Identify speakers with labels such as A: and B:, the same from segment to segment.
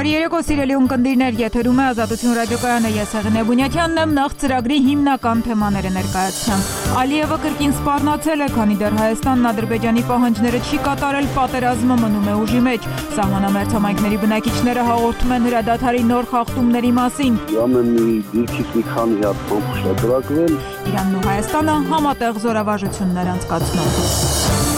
A: Բարի երեկո սիրելի ունկնդիրներ, եթերում է Ազատություն ռադիոկայանը, ես Հեղինե Բունյաթյանն եմ, նախ ծրագրի հիմնական թեմաները ներկայացնեմ։ Ալիևը կրկին սպառնացել է, քանի դեռ Հայաստանն Ադրբեջանի պահանջները չի կատարել, պատերազմը մնում է ուժի մեջ։ Սահմանամերձ համայնքների բնակիչները հաղորդում են հրադադարի նոր խախտումների մասին։
B: Ամեն դիրքից մի քանի հատ բանկ շրջակայել։
A: Իրանն ու Հայաստանը համատեղ զորավարժություններ անցկացնում։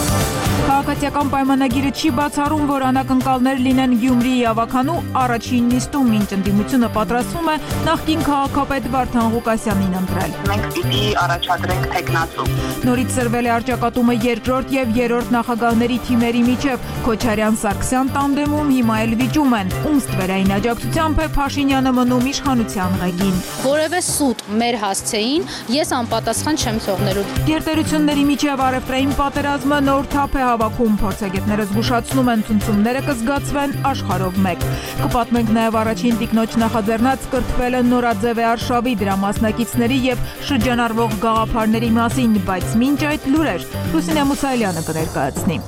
A: Քաղաքացիական պայմանագիրը չի բացառում, որ անակնկալներ լինեն Գյումրիի ավականու առաջին նիստում, ինչ ընդդիմությունը պատրաստվում է նախկին քաղաքապետ Վարդան Ղուկասյանին ընտրել։
C: Մենք պիտի առաջադրենք թեկնածու։
A: Նորից սրվել է առճակատումը երկրորդ եւ երրորդ նախագահների թիմերի միջև։ Քոչարյան-Սարգսյան տանդեմում հիմա էլ վիճում են, ում ստվերային աջակցությամբ է Փաշինյանը մնում իշխանության ղեկին։
D: Որևէ սուտ մեր հասցեին ես անպատասխան չեմ թողնելու։
A: Գերտերությունների միջև առևտրային պատերազմը նոր թափ է հավաքում, փորձագետները զգուշացնում են, ցնցումները կզգացվեն աշխարհով մեկ։ Կպատմենք նաև առաջին տիկնոջ նախաձեռնած կրթվելը նորաձև է արշավի, դրա մասնակիցների եւ շրջանառվող գաղափարների մասին, բայց մինչ այդ լուրեր Լուսինե Մուսայելյանը կներկայացնի։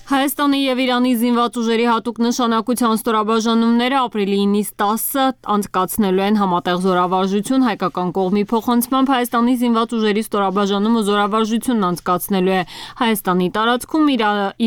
A: Հայաստանի եւ Իրանի զինված ուժերի հատուկ նշանակության ստորաբաժանումները ապրիլի 9-ից 10-ը անցկացնելու են համատեղ զորավարժություն, հայկական կողմի փոխանցմամբ Հայաստանի զինված ուժերի ստորաբաժանումը զորավարժությունն անցկացնելու է Հայաստանի տարածքում,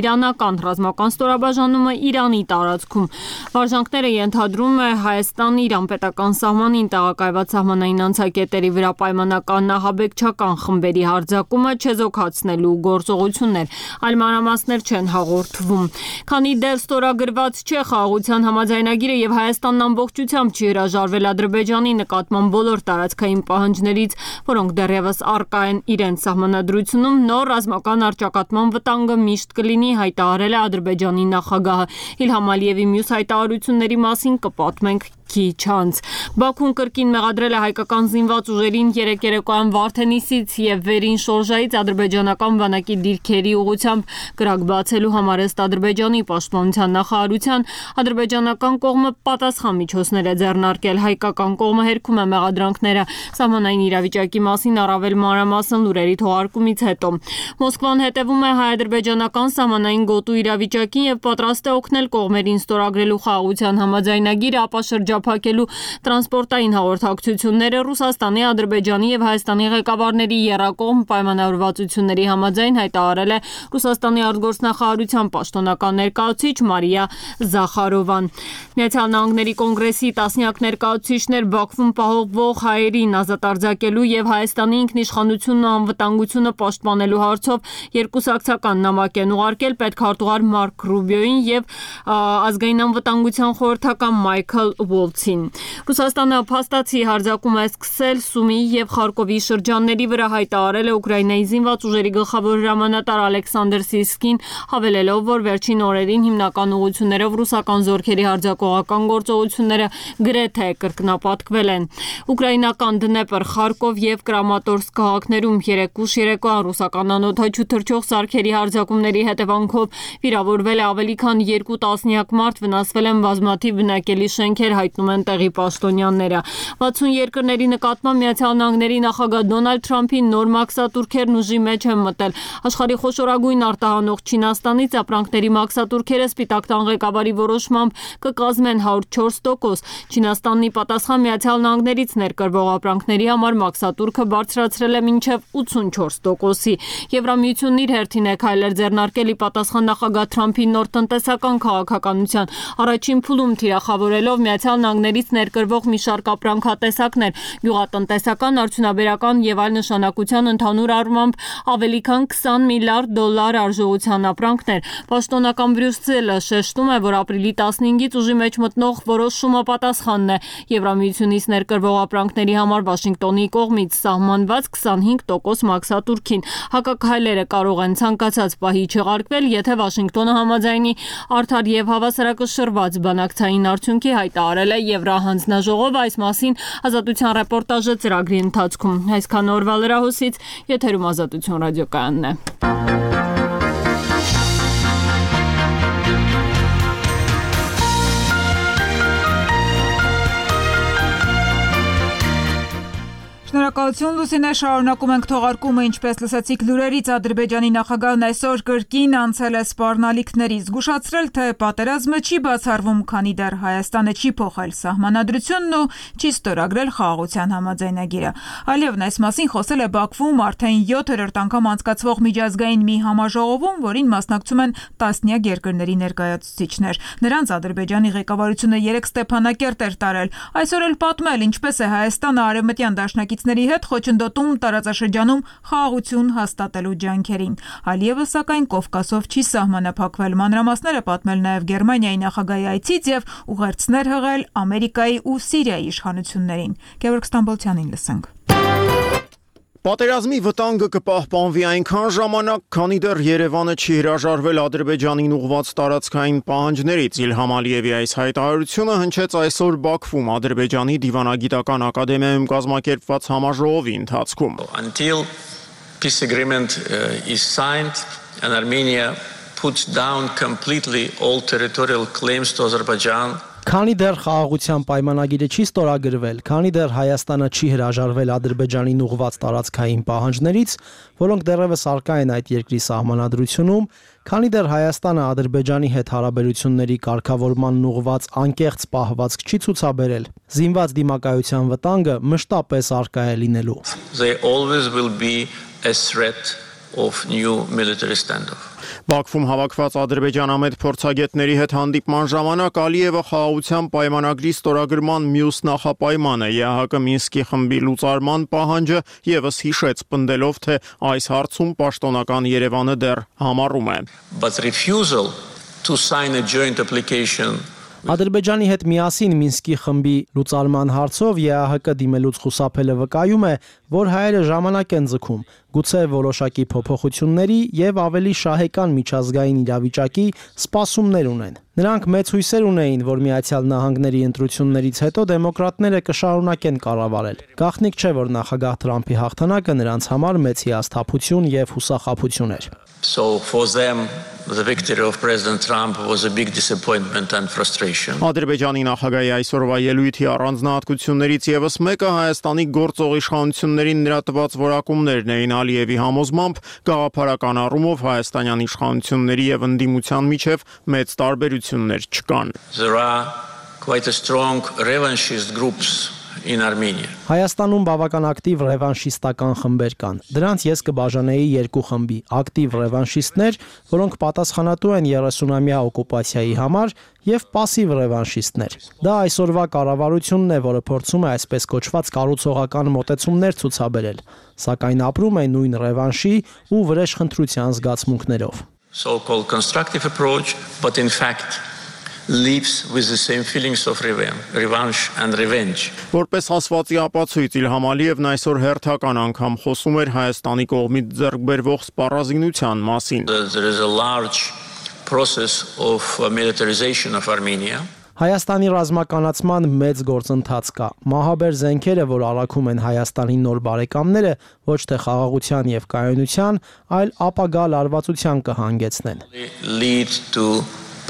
A: իրանական ռազմական ստորաբաժանումը Իրանի տարածքում։ Վարժանքները ենթադրում է Հայաստան-Իրան պետական սահմանին տեղակայված սահմանային անցակետերի վրա պայմանական ահաբեկչական խմբերի հարձակումը չեզոքացնելու գործողություններ, այլ մանրամասներ չեն Քանի դեռ ստորագրված չէ խաղաղության համաձայնագիրը եւ Հայաստանն ամբողջությամբ չի հրաժարվել Ադրբեջանի նկատմամբ բոլոր տարածքային պահանջներից, որոնք դեռևս առկա են իրենց սահմանադրությունում, նոր ռազմական առճակատման վտանգը միշտ կլինի, հայտարարել է Ադրբեջանի նախագահը։ Իլհամ Ալիևի մյուս հայտարարությունների մասին կպատմենք քիչ անց։ Բաքուն կրկին մեղադրել է հայկական զինված ուժերին երեկ երեկոյան Վարդենիսից եւ վերին Շորժայից ադրբեջանական բանակի դիրքերի ուղղությամբ կրակ բացելու համար ըստ Ադրբեջանի պաշտպանության նախարարության ադրբեջանական կողմը պատասխան միջոցներ է ձեռնարկել, հայկական կողմը հերքում է մեղադրանքները սահմանային իրավիճակի մասին առավել մանրամասն լուրերի թողարկումից հետո։ Մոսկվան հետևում է հայ-ադրբեջանական սահմանային գոտու իրավիճակին եւ պատրաստ է օգնել կողմերին ստորագրելու խաղաղության համաձայնագիրը, ապա շրջափակելու տրանսպորտային հաղորդակցությունները Ռուսաստանի, Ադրբեջանի եւ Հայաստանի ղեկավարների եռակողմ պայմանավորվածությունների համաձայն հայտարարել է Ռուսաստանի արտգործնախարարության պաշտոնական ներկայացուցիչ Մարիա Զախարովան։ Միացյալ Նահանգների կոնգրեսի տասնյակ ներկայացուցիչներ Բաքվում պահովող հայերին ազատ արձակելու եւ Հայաստանի ինքնիշխանությունն ու անվտանգությունը պաշտպանելու հարցով երկուսակցական նամակ են ուղարկել պետքարտուղար Մարկ Ռուբիոին եւ ազգային անվտանգության խորհրդական Մայքլ Ուոլցին։ Ռուսաստանը փաստացի հարձակում է սկսել Սումի եւ Խարկովի շրջանների վրա, հայտարարել է Ուկրաինայի զինված ուժերի գլխավոր հրամանատար Ալեքսանդր Սիրսկին, հավելելով, որ վերջին օրերին հիմնական ուղղություններով ռուսական զորքերի հարձակողական գործողությունները գրեթե կրկնապատկվել են։ Ուկրաինական Դնեպր, Խարկով եւ Կրամատորսկ քաղաքներում երեկուշ երեկոյան ռուսական անօդաչու թռչող սարքերի հարձակումների հետևանքով վիրավորվել է ավելի քան 2 տասնյակ մարդ, վնասվել են բազմաթիվ բնակելի շենքեր, հայտնում են տեղի պաշտոնյաները։ 60 երկրների նկատմամբ Միացյալ Նահանգների նախագահ Դոնալդ Թրամփի նոր մաքսատուրքերն ուժի մեջ են մտել։ Աշխարհի խոշորագույն արտահանող Չինաստանից ապրանքների մաքսատուրքերը Սպիտակ տան ղեկավարի որոշմամբ կկազմեն 104%։ Չինաստանի պատասխան Միացյալ Նահանգներից ներկրվող ապրանքների համար մաքսատուրքը բարձրացրել է մինչև 84%-ի։ Եվրամիությունն իր հերթին է քայլեր ձեռնարկել ի պատասխան նախագահ Թրամփի նոր տնտեսական քաղաքականության առաջին փուլում թիրախավորելով Միացյալ Նահանգներից ներկրվող մի շարք ապրանքատեսակներ, գյուղատնտեսական, արդյունաբերական եւ այլ նշանակության ընդհանուր առմամբ ավելի քան $20 միլիարդ արժողության ապրանքներ։ Պաշտոնական Բրյուսելը շեշտում է, որ ապրիլի 15-ից ուժի մեջ մտնող որոշումը պատասխանն է Եվրամիությունից ներկրվող ապրանքների համար Վաշինգտոնի կողմից սահմանված 25% մաքսատուրքին։ Հակաքայլերը կարող են ցանկացած պահի չեղարկվել, եթե Վաշինգտոնը համաձայնի արդար եւ հավասարակշռված բանակցային արդյունքի, հայտարարել է Եվրահանձնաժողովը, այս մասին Ազատության ռեպորտաժը ծրագրի ընթացքում։ Այսքան օրվա լրահոսից եթերում Ազատություն ռադիոկայանն է։
E: Շնորհակալություն Լուսինե, շարունակում ենք թողարկումը, ինչպես լսեցիք լուրերից, Ադրբեջանի նախագահն այսօր կրկին անցել է սպառնալիքների, զգուշացրել, թե պատերազմը չի բացառվում, քանի դեռ Հայաստանը չի փոխել սահմանադրությունն ու չի ստորագրել խաղաղության համաձայնագիրը։ Ալիևն այս մասին խոսել է Բաքվում արդեն 7-րդ անգամ անցկացվող միջազգային մի համաժողովում, որին մասնակցում են տասնյակ երկրների ներկայացուցիչներ։ Նրանց Ադրբեջանի ղեկավարությունը 3 Ստեփանակերտ էր տարել։ Այսօր էլ պատմել, ինչպես է Հայաստանը արևմտյան դաշնակիցների հետ խոչընդոտում տարածաշրջանում խաղաղություն հաստատելու ջանքերին։ Ալիևը սակայն Կովկասով չի սահմանափակվել, մանրամասները պատմել նաև Գերմանիայի նախագահի այցից եւ ուղերձներ հղել Ամերիկայի ու Սիրիայի իշխանություններին։ Գևորգ Ստամբոլցյանին լսենք։
F: Պատերազմի վտանգը կպահպանվի այնքան ժամանակ, քանի դեռ Երևանը չի հրաժարվել Ադրբեջանին ուղղված տարածքային պահանջներից։ Իլհամ Ալիևի այս հայտարարությունը հնչեց այսօր Բաքվում Ադրբեջանի դիվանագիտական ակադեմիայում կազմակերպված համաժողովի ընթացքում։
G: Until peace agreement is signed and Armenia puts down completely all territorial claims to Azerbaijan.
H: Քանի դեռ խաղաղության պայմանագիրը չի ստորագրվել, քանի դեռ Հայաստանը չի հրաժարվել Ադրբեջանին ուղղված տարածքային պահանջներից, որոնք դեռևս առկա են այդ երկրի սահմանադրությունում, քանի դեռ Հայաստանը Ադրբեջանի հետ հարաբերությունների կարգավորմանն ուղղված անկեղծ պահվածք չի ցուցաբերել, զինված դիմակայության վտանգը մշտապես առկա է լինելու։
G: They always will be a threat of new military standoff.
F: Բաքվում հավաքված ադրբեջանամետ փորձագետների հետ հանդիպման ժամանակ Ալիևը խաղաղության պայմանագրի ստորագրման մյուս նախապայմանը ԵԱՀԿ Մինսկի խմբի լուծարման պահանջը եւս հիշեց, պնդելով, թե այս հարցում պաշտոնական Երևանը դեռ համառում է։
G: But refusal to sign a joint application
H: Ադրբեջանի հետ միասին Մինսկի խմբի լուծարման հարցով ԵԱՀԿ դիմելուց խուսափելը վկայում է, որ հայերը ժամանակ են ձգում, գուցե որոշակի փոփոխությունների եւ ավելի շահեկան միջազգային իրավիճակի սպասումներ ունեն։ Նրանք մեծ հույսեր ունեին, որ Միացյալ Նահանգների ընտրություններից հետո դեմոկրատները կշարունակեն կառավարել։ Գաղտնիք չէ, որ նախագահ Թրամփի հաղթանակը նրանց համար մեծ հիասթափություն եւ հուսախաբություն էր։
G: So for them the victory of President Trump was a big disappointment and frustration.
F: Ադրբեջանի նախագահի այսօրվա ելույթի առանձնահատկություններից եւս մեկը Հայաստանի գործող իշխանություններին նրա տված որակումներն էին Ալիևի համոզմամբ գաղափարական առումով հայաստանյան իշխանությունների եւ ընդդիմության միջև մեծ տարբերություններ չկան։
G: There are quite a strong revanchist groups in Armenia.
H: Հայաստանում բավական ակտիվ ռևանշիստական խմբեր կան։ Դրանց ես կբաժանեի երկու խմբի՝ ակտիվ ռևանշիստներ, որոնք պատասխանատու են 30-ամյա օկուպացիայի համար, եւ պասիվ ռևանշիստներ։ Դա այսօրվա կառավարությունն է, որը փորձում է այսպես կոչված կառուցողական մոտեցումներ ցուցաբերել, սակայն ապրում է նույն ռևանշի ու վրեժխնդրության զգացմունքներով։
G: So-called constructive approach, but in fact lives with the same feelings of revenge and revenge.
F: Որպես ասվածի ապացույց Իլհամ Ալիևն այսօր հերթական անգամ խոսում էր Հայաստանի կողմից ձեռք բերվող սպառազինության մասին։
G: There is a large process of militarization of Armenia.
H: Հայաստանի ռազմականացման մեծ գործընթաց կա։ Մահաբեր զենքերը, որ առաքում են Հայաստանի նոր բարեկամները, ոչ թե խաղաղության եւ կայունության, այլ ապագա լարվածության կհանգեցնեն։
G: Lead to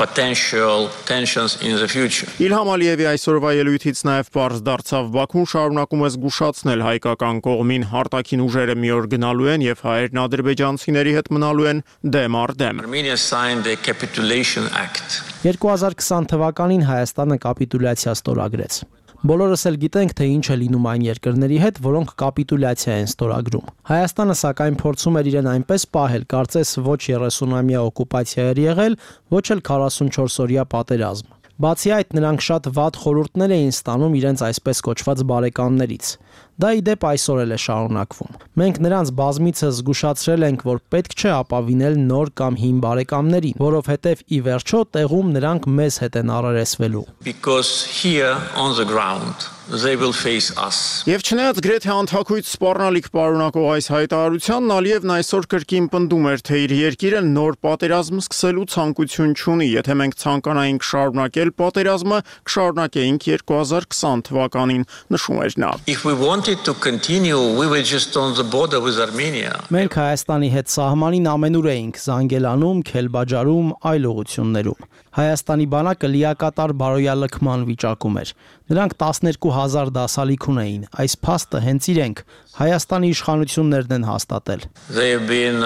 G: potential tensions in the future.
F: Իլհամ Ալիևի այսօրվա ելույթից նաև պարզ դարձավ Բաքուն շարունակում է զգուշացնել հայկական կողմին արտաքին ուժերը մի օր գնալու են եւ հայերն ադրբեջանցիների հետ մնալու են դեմ առ դեմ։
G: Armenia signed the Capitulation Act.
H: 2020 թվականին Հայաստանը կապիտուլյացիա ստորագրեց։ Բոլորս էլ գիտենք, թե ինչ է լինում այն երկրների հետ, որոնք կապիտուլյացիա են ստորագրում։ Հայաստանը սակայն փորձում էր իրեն այնպես պահել, կարծես ոչ 30-ամյա օկուպացիա էր եղել, ոչ էլ 44-օրյա պատերազմ։ Բացի այդ, նրանք շատ վատ խորհուրդներ էին ստանում իրենց այսպես կոչված բարեկամներից։ Դա ի դեպ այսօր էլ է շարունակվում։ Մենք նրանց բազմիցս զգուշացրել ենք, որ պետք չէ ապավինել նոր կամ հին բարեկամներին, որովհետև ի վերջո տեղում նրանք մեզ հետ են առերեսվելու։
G: Because here on the ground they will face us.
F: Եվ չնայած գրեթե անթակույց սպառնալիք պարունակող այս հայտարարությանն Ալիևն այսօր կրկին պնդում էր, թե իր երկիրը նոր պատերազմ սկսելու ցանկություն չունի, եթե մենք ցանկանայինք շարունակել պատերազմը, կշարունակեինք 2020 թվականին, նշում էր նա։
G: If we wanted to continue, we were just on the border with Armenia.
H: Մենք Հայաստանի հետ սահմանին ամենուր էինք Զանգելանում, Քելբաջարում, այլ ուղություններում։ Հայաստանի բանակը լիակատար բարոյալքման վիճակում էր։ Նրանք 12,000 դասալիք ունեին։ Այս փաստը հենց իրենք Հայաստանի իշխանություններն են հաստատել։
G: There have been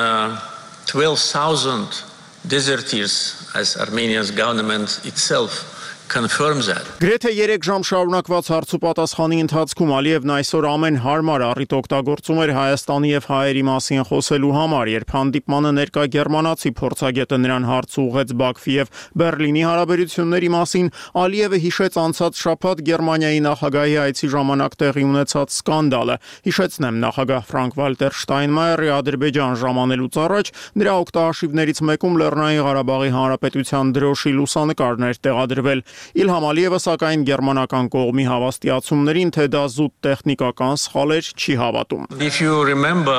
G: 12,000 deserters, as Armenia's government itself confirms that.
F: Գրեթե 3 ժամ շարունակված հարցուպատասխանի ընթացքում Ալիևն այսօր ամեն հարմար առիթ օգտագործում էր Հայաստանի եւ հայերի մասին խոսելու համար, երբ հանդիպմանը ներկա գերմանացի փորձագետը նրան հարց ուղղեց Բաքվի եւ Բերլինի հարաբերությունների մասին, Ալիևը հիշեց անցած շաբաթ Գերմանիայի նախագահի այցի ժամանակ տեղի ունեցած սկանդալը։ Հիշեցնեմ, նախագահ Ֆրանկվալտեր Շտայնմայերի Ադրբեջան ժամանելուց առաջ նրա օգտահաշիվներից մեկում Լեռնային Ղարաբաղի Հանրապետության դրոշի լուսանկարներ տեղադրվել։ Իլհամ Ալիևը սակայն գերմանական կողմի հավաստիացումներին, թե դա զուտ տեխնիկական սխալ էր, չի հավատում։
G: If you remember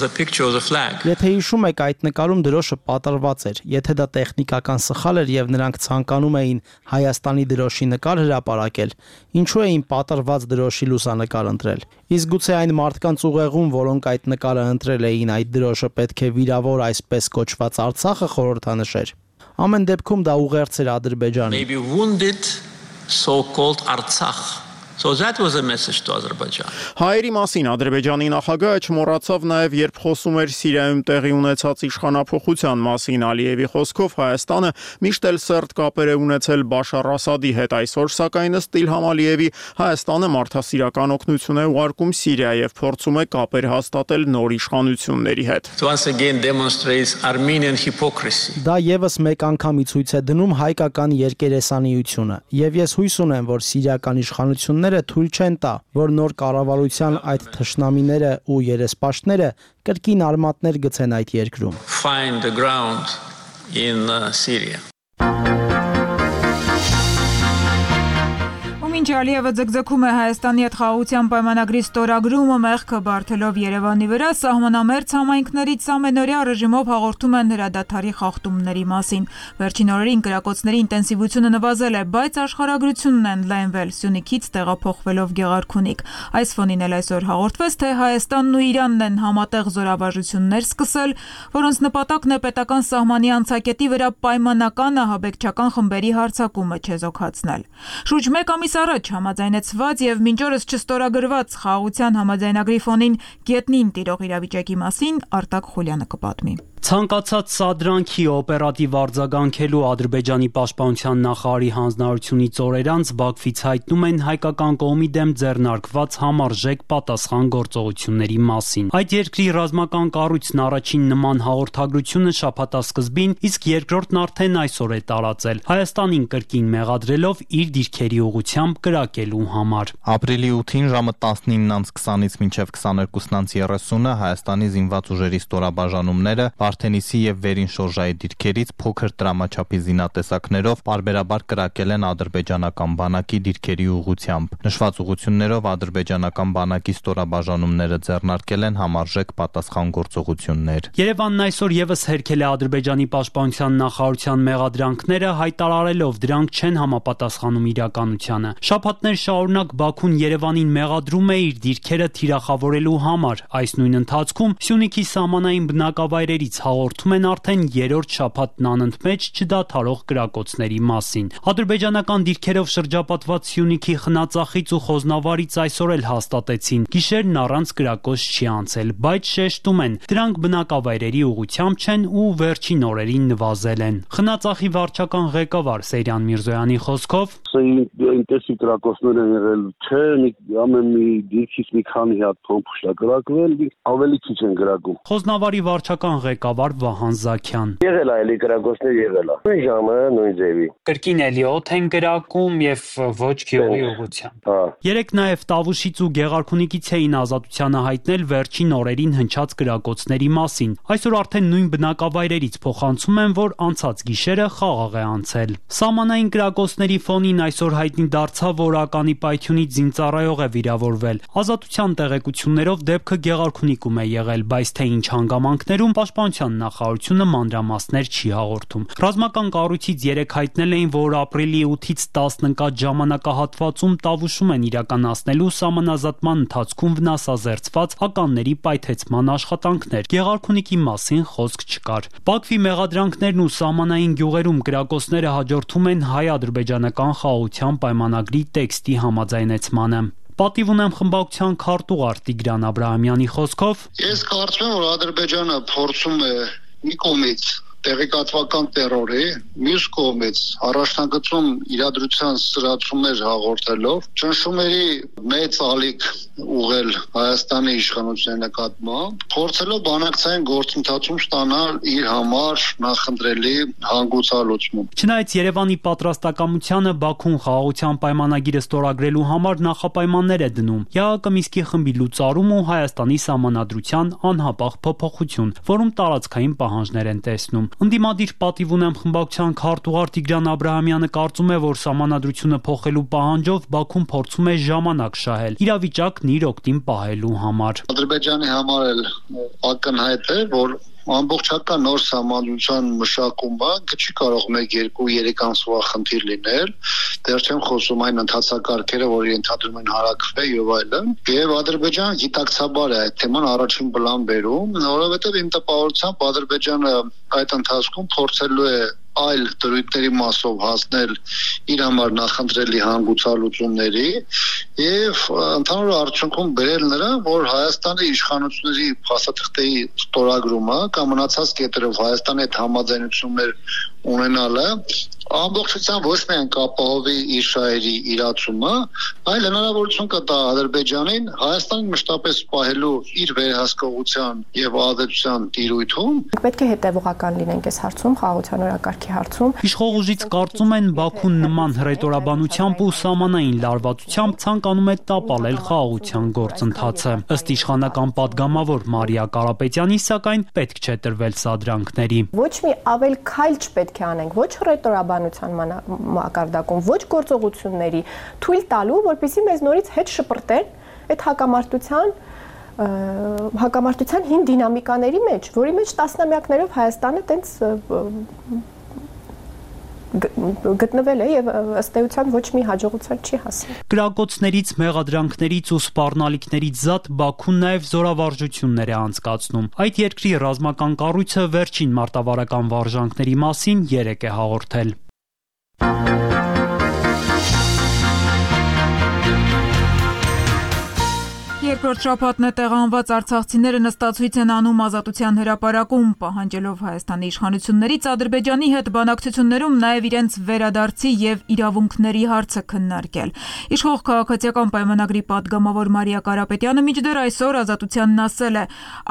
G: the picture of the flag.
H: Եթե հիշում եք, այդ նկարում դրոշը պատրված էր։ Եթե դա տեխնիկական սխալ էր եւ նրանք ցանկանում էին Հայաստանի դրոշի նկար հրապարակել, ինչու էին պատրված դրոշի լուսանկար ընտրել։ Իսկ գուցե այն մարդկանց ուղեղում, որոնք այդ նկարը ընտրել էին, այդ դրոշը պետք է վիրավոր այսպես կոչված Արցախը խորհրդանշեր։ Ամեն դեպքում դա ուղերձ էր Ադրբեջանի։
G: Maybe wounded so-called Artsakh. So that was a message to Azerbaijan.
F: Հայերի մասին Ադրբեջանի նախագահը չմոռացավ նաև, երբ խոսում էր Սիրիայում տեղի ունեցած իշխանափոխության մասին։ Ալիևի խոսքով Հայաստանը միշտ էլ սերտ կապեր է ունեցել Բաշար Ասադի հետ, այսօր սակայն ըստ Իլհամ Ալիևի Հայաստանը մարդասիրական օգնություն է ուղարկում Սիրիա եւ փորձում է կապեր հաստատել նոր իշխանությունների հետ։
G: Once again demonstrates Armenian hypocrisy.
H: Դա եւս մեկ անգամի ցույց է դնում հայկական երկերեսանիությունը, եւ ես հույս ունեմ, որ սիրիական իշխանությունները թույլ չեն տա, որ նոր կառավարության այդ թշնամիները ու երեսպաշտները կրկին արմատներ գցեն այդ երկրում։
G: Find the ground in Syria.
E: Մինչ Ալիևը ձգձգում է Հայաստանի հետ խաղաղության պայմանագրի ստորագրումը մեղքը բարթելով Երևանի վրա, սահմանամերձ համայնքներից ամենօրյա ռեժիմով հաղորդում են հրադադարի խախտումների մասին։ Վերջին օրերին կրակոցների ինտենսիվությունը նվազել է, բայց աշխարհագրությունն են լայնվել Սյունիքից տեղափոխվելով Գեղարքունիք։ Այս ֆոնին էլ այսօր հաղորդվեց, թե Հայաստանն ու Իրանն են համատեղ զորավարժություններ սկսել, որոնց նպատակն է պետական սահմանի անցակետի վրա պայմանական ահաբեկչական խմբերի հարձակումը չեզոքացնել։ Շուրջ 1 ամիս առաջ համաձայնեցված եւ մինչ օրս չստորագրված խաղաղության համաձայնագրի ֆոնին գետնին տիրող իրավիճակի մասին Արտակ Խուլյանը կպատմի։
I: Ցանկացած սադրանքի օպերատիվ արձագանքելու Ադրբեջանի պաշտպանության նախարարի հանձնարարությունից օրեր անց Բաքվից հայտնում են հայկական կողմի դեմ ձեռնարկված համարժեք պատասխան գործողությունների մասին։ Այդ երկրի ռազմական կառույցն առաջին նման հաղորդագրությունը շաբաթասկզբին, իսկ երկրորդն արդեն այսօր է տարածել, Հայաստանին կրկին մեղադրելով իր դիրքերի ուղղությամբ կրակելու համար։
J: Ապրիլի 8-ին ժամը 19:20-ից մինչև 22:30-ը Հայաստանի զինված ուժերի ստորաբաժանումները Վարդենիսի եւ Վերին շորժայի դիրքերից փոքր տրամաչափի զինատեսակներով պարբերաբար կրակել են ադրբեջանական բանակի դիրքերի ուղղությամբ։ Նշված ուղղություններով ադրբեջանական բանակի ստորաբաժանումները ձեռնարկել են համարժեք պատասխան գործողություններ։
I: Երևանն այսօր եւս հերքել է Ադրբեջանի պաշտպանության նախարարության մեղադրանքները, հայտարարելով դրանք չեն համապատասխանում իրականությանը։ Շաբաթներ շարունակ Բաքուն Երևանին մեղադրում է իր դիրքերը թիրախավորելու համար։ Այս նույն ընթացքում Սյունիքի սահմանային բնակավայրերից հաղորդում են արդեն երրորդ շաբաթն անընդմեջ չդադարող կրակոցների մասին։ Ադրբեջանական դիրքերով շրջապատված Սյունիքի խնածախից ու Խոզնավարից այսօր էլ հաստատեցին, գիշերն առանց կրակոց չի անցել, բայց շեշտում են, դրանք բնակավայրերի ուղղությամբ չեն ու վերջին օրերին նվազել են։ Խնածախի վարչական ղեկավար Սեյրան Միրզոյանի խոսքով
B: ինտենսիվ կրակոցներ են եղել, չէ, ամեն մի դիրքից մի քանի հատ փոմփ կրակվել, ավելի քիչ են կրակում։
I: Խոզնավարի վարչական ղեկավար Վահան Զաքյան։
B: Եղել է էլի կրակոցներ եղել է։ Նույն ժամը, նույն ձևի։
I: Կրկին էլի օդ են կրակում եւ ոչ գյուղի ուղղությամբ։ Երեք նաեւ Տավուշից ու Գեղարքունիքից էին ազատությանը հայտնել վերջին օրերին հնչած կրակոցների մասին։ Այսօր արդեն նույն բնակավայրերից փոխանցում են, որ անցած գիշերը խաղաղ է անցել։ Սահմանային կրակոցների ֆոնին այսօր հայտնի դարձավ, որ ականի պայթյունից զինծառայող է վիրավորվել։ Ազատության տեղեկություններով դեպքը Գեղարքունիքում է եղել, բայց թե ինչ հանգամանքներում Պաշտպանության նախարարությունը մանրամասներ չի հաղորդում։ Ռազմական կառույցից 3 հայտնել էին, որ ապրիլի 8-ից 10 ընկած ժամանակահատվածում Տավուշում են իրականացնելու սահմանազատման ընթացքում վնասազերծված ականների պայթեցման աշխատանքներ։ Գեղարքունիքի մասին խոսք չկար։ Բաքվի մեղադրանքներն ու սահմանային գյուղերում կրակոցները հաջորդում են հայ-ադրբեջանական խաղաղության պայմանագրի տեքստի համաձայնեցմանը։ Պատիվ ունեմ խմբակցության քարտուղար Տիգրան Աբրահամյանի խոսքով.
K: Ես կարծում եմ, որ Ադրբեջանը փորձում է մի կողմից տեղեկատվական տերորի, մյուս կողմից առաջնագծում իրադրության սրացումներ հաղորդելով, ճնշումների մեծ ալիք ուղղել Հայաստանի իշխանության նկատմամբ, փորձելով բանակցային գործընթացում ստանալ իր համար նախընտրելի հանգուցալուծում։
I: Չնայած Երևանի պատրաստակամությանը Բաքուն խաղաղության պայմանագիրը ստորագրելու համար նախապայմաններ է դնում, ԵԱՀԿ Մինսկի խմբի լուծարում ու Հայաստանի սահմանադրության անհապաղ փոփոխություն, որում տարածքային պահանջներ են տեսնում։ Ընդդիմադիր պատիվ ունեմ խմբակցության քարտուղար Տիգրան Աբրահամյանը կարծում է, որ սահմանադրությունը փոխելու պահանջով Բաքուն փորձում է ժամանակ շահել, իրավիճակն իր օգտին պահելու համար։
K: Ադրբեջանի համար էլ ակնհայտ է, որ ամբողջական նոր սահմանադրության մշակումը չի կարող 1-2-3 ամսվա խնդիր լինել, դեռ չեմ խոսում այն ընթացակարգերը, որ ենթադրում են հարակվել եւ այլն, եւ Ադրբեջանը գիտակցաբար է այդ թեման առաջին պլան բերում, որովհետեւ իմ տպավորությամբ Ադրբեջանը այդ ընթացքում փորձելու է այլ դրույթների մասով հասնել իր համար նախընտրելի հանգուցալուծումների եւ ընդհանուր արդյունքում բերել նրան, որ Հայաստանի իշխանությունների փաստաթղթերի ստորագրումը կամ մնացած կետերով Հայաստանի հետ համաձայնություններ ունենալը ամբողջությամբ ոչ միայն կապահովի իր շահերի իրացումը, այլ հնարավորություն կտա Ադրբեջանին Հայաստանին մշտապես պահելու իր վերահսկողության եւ ազատության տիրույթում։
L: Պետք է հետեւողական լինենք այս հարցում, խաղաղության օրակարգի հարցում։
I: Իշխող ուժից կարծում են Բաքուն նման հռետորաբանությամբ ու սահմանային լարվածությամբ ցանկանում է տապալել խաղաղության գործընթացը։ Ըստ իշխանական падգամավոր Մարիա Կարապետյանի, սակայն պետք չէ տրվել սադրանքների։
L: Ոչ մի ավել քայլ չպետք է անենք, ոչ հռետորաբանության մակարդակում, ոչ գործողությունների թույլ տալու, որպեսզի մեզ նորից հետ շպրտեն այդ հակամարտության հին դինամիկաների մեջ, որի մեջ տասնամյակներով Հայաստանը տենց գտնվել է եւ ըստ էության ոչ մի հաջողության չի հասել։
I: Կրակոցներից, մեղադրանքներից ու սպառնալիքներից զատ Բաքուն նաեւ զորավարժություններ է անցկացնում։ Այդ երկրի ռազմական կառույցը վերջին մարտավարական վարժանքների մասին 3 է հաղորդել։
E: Երկրորդ շաբաթն է տեղանված արցախցիները նստացույց են անում Ազատության հրապարակում, պահանջելով Հայաստանի իշխանություններից Ադրբեջանի հետ բանակցություններում նաև իրենց վերադարձի եւ իրավունքների հարցը քննարկել։ Իշխող քաղաքացիական պայմանագրի падգամավոր Մարիա Կարապետյանը մինչդեռ այսօր Ազատությանն ասել է,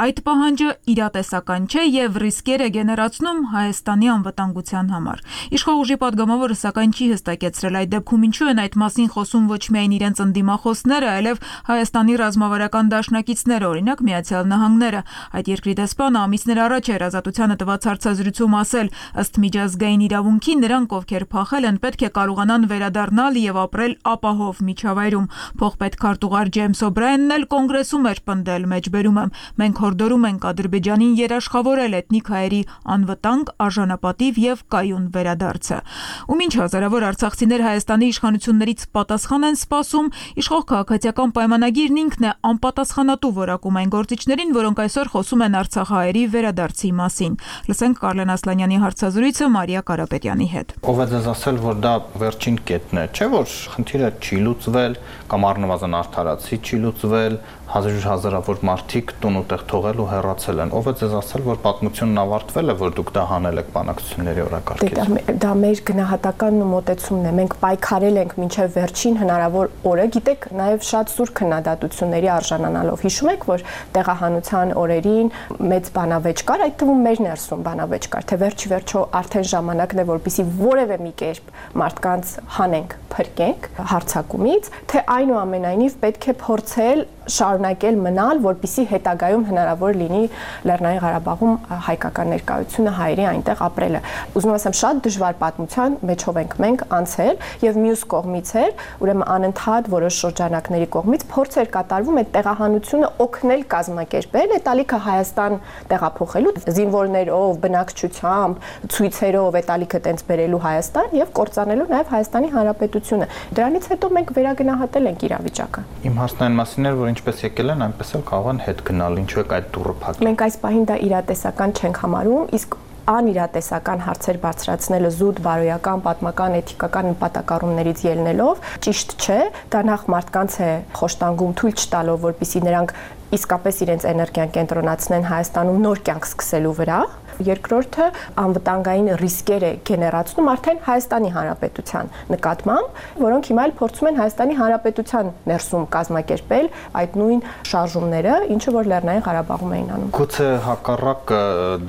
E: այդ պահանջը իրատեսական չէ եւ ռիսկեր է գեներացնում Հայաստանի անվտանգության համար։ Իշխող ուժի падգամավորը սակայն չի հստակեցրել այդ դեպքում ինչու են այդ մասին խոսում ոչ միայն իրենց ընդդիմախոսները, այլև Հայաստանի ռազմավարական դաշնակիցները, օրինակ Միացյալ Նահանգները։ Այդ երկրի դեսպանը ամիսներ առաջ էր Ազատությանը տված հարցազրույցում ասել, ըստ միջազգային իրավունքի նրանք, ովքեր փախել են, պետք է կարողանան վերադառնալ եւ ապրել ապահով միջավայրում։ Փոխպետ քարտուղար Ջեյմս Օբրայանն էլ կոնգրեսում էր պնդել, մեջբերում եմ, մենք հորդորում ենք Ադրբեջանին երաշխավորել էթնիկ հայերի անվտանգ, արժանապատիվ եւ կայուն վերադարձը։ Ու մինչ հազարավոր արցախցիներ Հայաստանի իշխանություններից պատասխան են սպասում, իշխող քաղաքացիական պայմանագիրն ինքն է անպատասխանատու որակում այն գործիչներին, որոնք այսօր խոսում են արցախահայերի վերադարձի մասին։ Լսենք Կարլեն Ասլանյանի հարցազրույցը Մարիա Կարապետյանի հետ։
J: Ով է ձեզ ասել, որ դա վերջին կետն է, չէ՞ որ խնդիրը չի լուծվել կամ առնվազն արդարացի չի լուծվել, հազարավոր մարդիկ տուն ու տեղ թողել ու հեռացել են։ Ով է ձեզ ասել, որ պատմությունն ավարտվել է, որ դուք դա հանել եք բանակցությունների օրակարգից։
L: Դա մեր գնահատականն ու մոտեցումն է։ Մենք պայքարել ենք մինչև վերջին հնարավոր օրը, գիտեք, նաև շատ սուր քննադատությունների արժանանալով։ Հիշում եք, որ տեղահանության օրերին մեծ բանավեճ կար, այդ թվում մեր ներսում բանավեճ կար, թե վերջի վերջո արդեն ժամանակն է, որպեսզի որևէ մի կերպ մարդկանց հանենք փրկենք հարձակումից, թե այնուամենայնիվ պետք է փորձել շարունակել մնալ, որպեսզի հետագայում հնարավոր լինի Լեռնային Ղարաբաղում հայկական ներկայությունը, հայերի այնտեղ ապրելը։ Ուզում եմ ասեմ, շատ դժվար պատմության մեջով ենք մենք անցել եւ մյուս կողմից էր, ուրեմն անընդհատ որոշ շրջանակների կողմից փորձ էր կատարվում այդ տեղահանությունը օգնել կազմակերպել, այդ ալիքը Հայաստան տեղափոխելու զինվորներով, բնակչությամբ, ցույցերով այդ ալիքը տենց բերելու Հայաստան եւ կործանելու նաեւ Հայաստանի Հանրապետությունը։ Դրանից հետո մենք վերագնահատել ենք իրավիճակը։
J: Իմ հարցն այն մասին էր, որ ինչպես եկել են, այնպես էլ կարող են հետ գնալ, ինչու է այդ դուռը փակել։
L: Մենք այս պահին դա իրատեսական չենք համարում, իսկ անիրատեսական հարցեր բարձրացնելը զուտ բարոյական, պատմական, էթիկական նպատակառումներից ելնելով ճիշտ չէ, դա նախ մարդկանց է խոշտանգում թույլ չտալով, որպեսզի նրանք իսկապես իրենց էներգիան կենտրոնացնեն Հայաստանում նոր կյանք սկսելու վրա։ Երկրորդը անվտանգային ռիսկեր է գեներացնում արդեն Հայաստանի Հանրապետության նկատմամբ, որոնք հիմա էլ փորձում են Հայաստանի Հանրապետության ներսում կազմակերպել այդ նույն շարժումները, ինչը որ Լեռնային Ղարաբաղում էին անում։
J: Գուցե հակառակ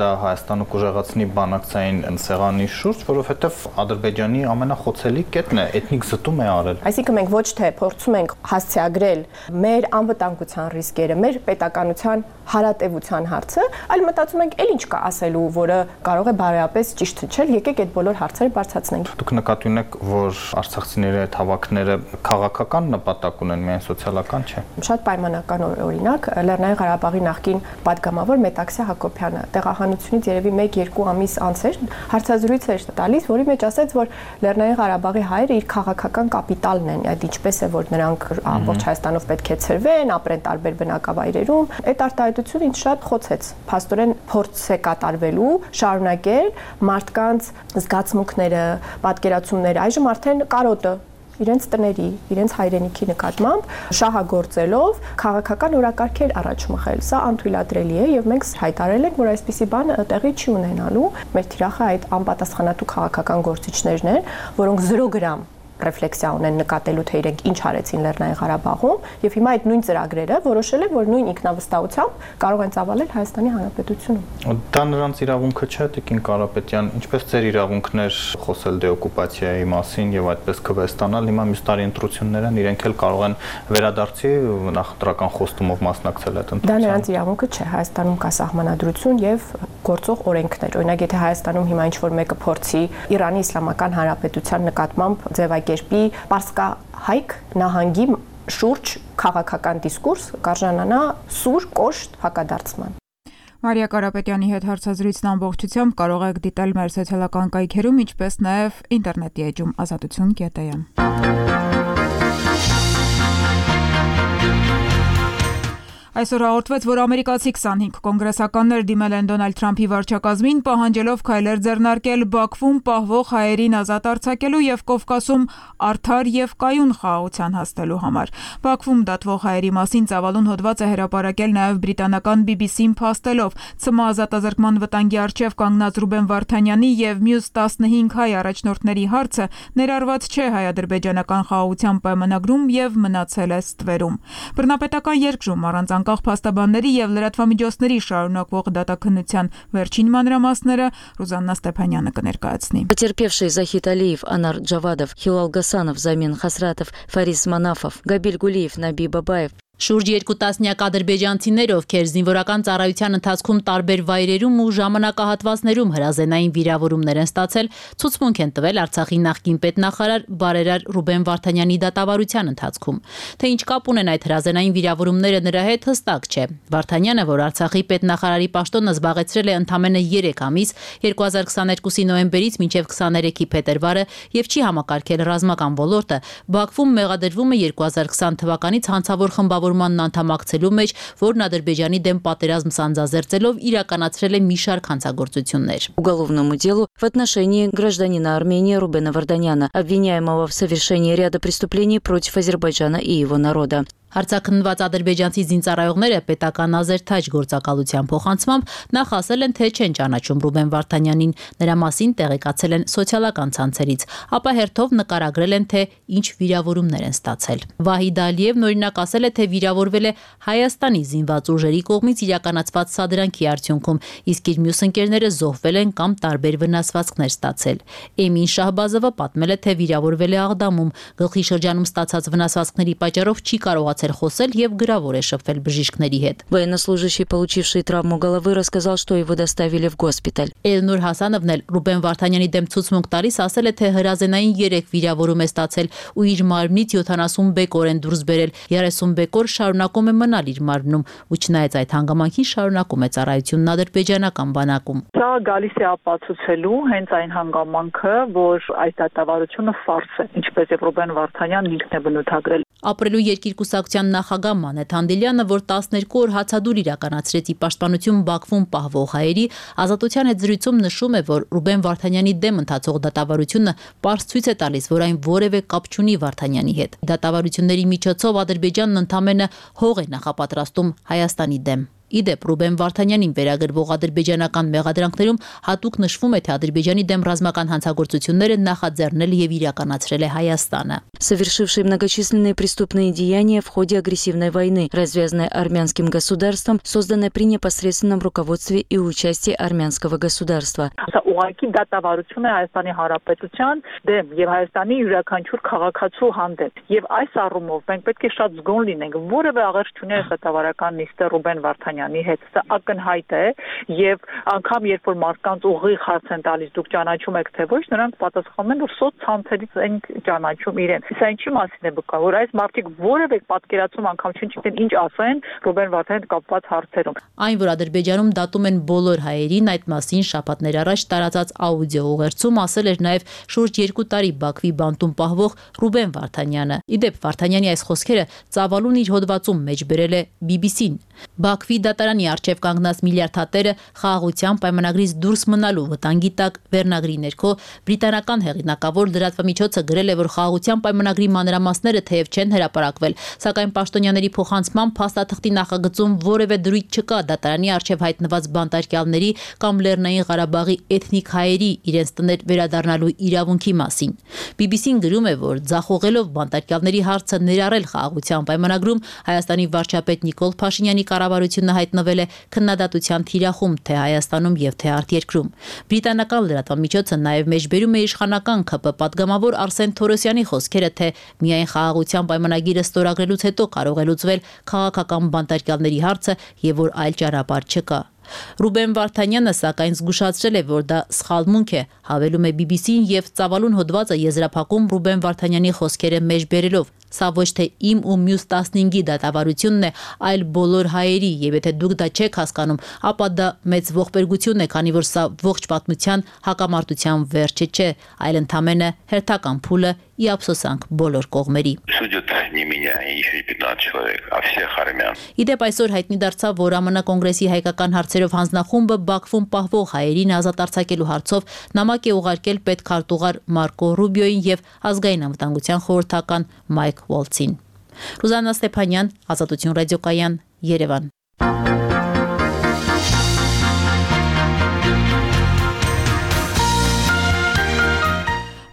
J: դա Հայաստանը կուժեղացնի բանակցային սեղանի շուրջ, որովհետև Ադրբեջանի ամենախոցելի կետն է, էթնիկ զտում է արել։
L: Այսինքն մենք ոչ թե փորձում ենք հասցեագրել մեր անվտանգության ռիսկերը, մեր պետականության հարատևության հարցը, այլ մտածում ենք, էլ ինչ կա ասելու, որը կարող է բարոյապես ճիշտ չել, եկեք այդ բոլոր հարցերը բարձրացնենք։
J: Դուք նկատի ունեք, որ արցախցիների այդ հավաքները քաղաքական նպատակ ունեն, միայն սոցիալական չէ։
L: Շատ պայմանական օրինակ, Լեռնային Ղարաբաղի նախկին պատգամավոր Մետաքսյա Հակոբյանը տեղահանությունից երևի 1-2 ամիս անց էր հարցազրույց էր տալիս, որի մեջ ասաց, որ Լեռնային Ղարաբաղի հայերը իր քաղաքական կապիտալն են, այդ ինչպես է, որ նրանք ամբողջ Հայաստանով պետք է ցրվեն, ապրեն տարբեր բնակավայրերում։ Այդ արտահայտությունը ինձ շատ խոցեց։ Փաստորեն փորձ է կատարվելու շարունակել մարդկանց զգացմունքները, պատկերացումները, այժմ արդեն կարոտը իրենց տների, իրենց հայրենիքի նկատմամբ շահագործելով քաղաքական օրակարգեր առաջ մղել։ Սա անթույլատրելի է եւ մենք հայտարարել ենք, որ այսպիսի բան տեղի չի ունենալու։ Մեր թիրախը այդ անպատասխանատու քաղաքական գործիչներն են, որոնք 0 գրամ ռեֆլեքսիա ունեն նկատելու թե իրենք ինչ արեցին Լեռնային Ղարաբաղում եւ հիմա այդ նույն ծրագրերը որոշել են, որ նույն ինքնավստահությամբ կարող են ծավալել Հայաստանի Հանրապետությունում։
J: Դա նրանց իրավունքը չէ, Տիկին Կարապետյան, ինչպես ձեր իրավունքն էր խոսել դեօկուպացիայի մասին եւ այդպես քվեստանալ, հիմա մյուս տարի ընտրություններ են, իրենք էլ կարող են վերադարձի նախընտրական խոստումով մասնակցել այդ ընտրությանը։
L: Դա նրանց իրավունքը չէ, Հայաստանում կա սահմանադրություն եւ գործող օրենքներ։ Օրինակ, եթե Հայաստանում հիմա ինչ-որ մեկը փորձի Իրանի Իսլամական Հանրապետության նկատմամբ ձևակերպի պարսկահայք նահանգի շուրջ քաղաքական դիսկուրս, կարժանանա սուր կոշտ հակադարձման։
E: Մարիա Կարապետյանի հետ հարցազրույցն ամբողջությամբ կարող եք դիտել մեր սոցիալական կայքերում, ինչպես նաև ինտերնետի էջում azatutun.am։ Այսօր հաղորդվեց, որ ամերիկացի 25 կոնգրեսականներ դիմել են Դոնալդ Թրամփի վարչակազմին, պահանջելով քայլեր ձեռնարկել Բաքվում պահվող հայերին ազատ արձակելու եւ Կովկասում արդար եւ կայուն խաղաղության հասնելու համար։ Բաքվում դատվող հայերի մասին ծավալուն հոդված է հրապարակել նաեւ բրիտանական BBC-ն փաստելով, ՑՄ ազատազրկման վտանգի առջև կանգնած Ռուբեն Վարդանյանի եւ մյուս 15 հայ առաջնորդների հարցը ներառված չէ հայ-ադրբեջանական խաղաղության պայմանագրում եւ մնացել է ստվերում։ Բռնապետական երկրում առանց անկախ փաստաբանների եւ լրատվամիջոցների շարունակվող դատաքննության վերջին մանրամասները Ռուզաննա Ստեփանյանը կներկայացնի։
M: Потерпевшие Захид Алиев, Анар Джавадов, Хилал Гасанов, Замин Хасратов, Фарис Манафов, Габиль Гулиев, Наби Бабаев.
N: Շուրջ 2 տասնյակ ադրբեջանցիներ, ովքեր զինվորական ծառայության ընթացքում տարբեր վայրերում ու ժամանակահատվածներում հրազենային վիրավորումներ են ստացել, ցուցմունք են տվել Արցախի նախկին պետնախարար բարերար Ռուբեն Վարդանյանի դատավարության ընթացքում։ Թե ինչ կապ ունեն այդ հրազենային վիրավորումները նրա հետ, հստակ չէ։ Վարդանյանը, որ Արցախի պետնախարարի պաշտոնը զբաղեցրել է ընդամենը 3 ամիս, 2022-ի նոյեմբերից մինչև 23-ի փետրվարը եւ չի համակարգել ռազմական ոլորտը, Բաքվում մեղադրվում է 2020 թվականից հանցավոր խմբավորմանն անդամակցելու մեջ, որն Ադրբեջանի դեմ պատերազմ սանձազերծելով իրականացրել է մի շարք հանցագործություններ։
M: Уголовному делу в отношении гражданина Армении Рубена Варданяна, обвиняемого в совершении ряда преступлений против Азербайджана и его народа.
N: Հարցաքննված ադրբեջանցի զինծառայողները պետական ազերթաջ գործակալության փոխանցմամբ նախ ասել են, թե չեն ճանաչում Ռուբեն Վարդանյանին, նրա մասին տեղեկացել են սոցիալական ցանցերից, ապա հերթով նկարագրել են, թե ինչ վիրավորումներ են ստացել։ Վահիդ Ալիևն օրինակ ասել է, թե վիրավորվել է Հայաստանի զինված ուժերի կողմից իրականացված սադրանքի արդյունքում, իսկ իր մյուս ընկերները զոհվել են կամ տարբեր վնաս վնասվածքներ ստացել։ Էմին Շահբազովը պատմել է, թե վիրավորվել է Աղդամում, գլխի շրջանում ստացած վնասվածքների պատճառով չի կարողացել խոսել եւ գրավոր է շփվել բժիշկների հետ։
M: Военнослужащий, получивший травму головы, рассказал, что его доставили в госпиталь.
N: Էլնուր Հասանովն էլ Ռուբեն Վարդանյանի դեմ ցուցմունք տալիս ասել է, թե հրազենային 3 վիրավորում է ստացել ու իր մարմնից 70 բեկոր են դուրս բերել, 30 բեկոր շարունակում է մնալ իր մարմնում, ու չնայած այդ հանգամանքին շարունակում է ծառայությունն ադրբեջանական բանակում։
O: Սա գալիս է ապացուցելու հենց այն հանգամանքը, որ այս դատավարությունը ֆարս է, ինչպես եւ Ռուբեն Վարդանյանն ինքն է բնութագրել։
N: Ապրելու երկիր կուսակցության նախագահ Մանեթ Հանդիլյանը, որ 12 օր հացադուլ իրականացրեց ի պաշտպանություն Բաքվում պահվող հայերի, Ազատության հետ զրույցում նշում է, որ Ռուբեն Վարդանյանի դեմ ընթացող դատավարությունը պարզ ցույց է տալիս, որ այն որևէ կապ չունի Վարդանյանի հետ։ Դատավարությունների միջոցով Ադրբեջանն ընդամենը հող է նախապատրաստում Հայաստանի դեմ։ Իդեպ Ռուբեն Վարդանյանին վերագրվող ադրբեջանական մեղադրանքներում հատուկ նշվում է, թե Ադրբեջանի դեմ ռազմական հանցագործությունները նախաձեռնել եւ իրականացրել է Հայաստանը։
M: Совершивший многочисленные преступные деяния в ходе агрессивной войны, развязанной армянским государством, созданной при непосредственном руководстве и участии армянского государства.
O: Ուղղակի դատավարություն է Հայաստանի Հանրապետության դեմ եւ Հայաստանի յուրաքանչյուր քաղաքացու հանդեպ։ Եվ այս առումով մենք պետք է շատ զգոն լինենք, որևէ աղերս չունի այս դատավարական նիստը Ռուբեն Վարդանյանի հետ։ Սա ակնհայտ է եւ անգամ երբ որ մարդկանց ուղիղ հարց են տալիս, դուք ճանաչում եք թե ոչ, նրանք պատասխանում են, որ սոցցանցերից են ճանաչում իրեն։ Սա ինչի մասին է բկա, որ այս մարդիկ որևէ պատկերացում անգամ չգիտեն ինչ ասեն Ռուբեն Վարդանյանի կապված հարցերում։
N: Այն, որ Ադրբեջանում դատում են բոլոր հայերին, այդ մասին շաբաթներ առաջ տարածած աուդիո ուղերձում ասել էր նաև շուրջ 2 տարի Բաքվի բանտում պահվող Ռուբեն Վարդանյանը։ Իդեպ Վարդանյանի այս խոսքերը ծավալուն իր հոդվածում մեջ բերել է BBC-ն։ Բաքվի դատարանի առջև կանգնած միլիարդատերը խաղաղության պայմանագրից դուրս մնալու վտանգի տակ վերնագրի ներքո բրիտանական հեղինակավոր լրատվամիջոցը գրել է, որ խաղաղության պայմանագրի մանրամասները թեև չեն հրապարակվել, սակայն պաշտոնյաների փոխանցման փաստաթղթի նախագծում որևէ դրույթ չկա դատարանի առջև հայտնված բանտարկյալների կամ Լեռնային Ղարաբաղի էթնիկ հայերի իրենց տներ վերադառնալու իրավունքի մասին։ BBC-ն գրում է, որ ձախողելով բանտարկյալների հարցը ներառել խաղաղության պայմանագրում Հայաստանի վարչապետ Նիկոլ Փաշինյանի կառավարությունը հայտնվել է քննադատության թիրախում թե Հայաստանում եւ թե արտերկրում։ Բրիտանական լրատվամիջոցը նաեւ մեջբերում է իշխանական ԿՊ պատգամավոր Արսեն Թորոսյանի խոսքերը, թե միայն խաղաղության պայմանագիրը ստորագրելուց հետո կարող է լուծվել քաղաքական բանտարկյալների հարցը եւ որ այլ ճանապարհ չկա։ Ռուբեն Վարդանյանը սակայն զգուշացրել է, որ դա սխալմունք է, հավելում է BBC-ն եւ ծավալուն հոդվածը եզրափակում Ռուբեն Վարդանյանի խոսքերը մեջբերելով։ Սա ոչ թե իմ ու մյուս 15-ի դատավարությունն է, այլ բոլոր հայերի, եւ եթե դուք դա չեք հասկանում, ապա դա մեծ ողբերգություն է, քանի որ սա ողջ պատմության հակամարտության վերջը չէ, այլ ընդամենը հերթական փուլը ի ափսոսանք բոլոր կողմերի։ Իդեպ այսօր հայտնի դարձավ, որ ԱՄՆ կոնգրեսի հայկական հարցերով հանձնախումբը Բաքվում պահվող հայերին ազատ արձակելու հարցով նամակ է ուղարկել պետքարտուղար Մարկո Ռուբիոին եւ ազգային անվտանգության խորհրդական Մայք Ուոլցին։ Ռուզաննա Ստեփանյան, Ազատություն ռադիոկայան, Երևան։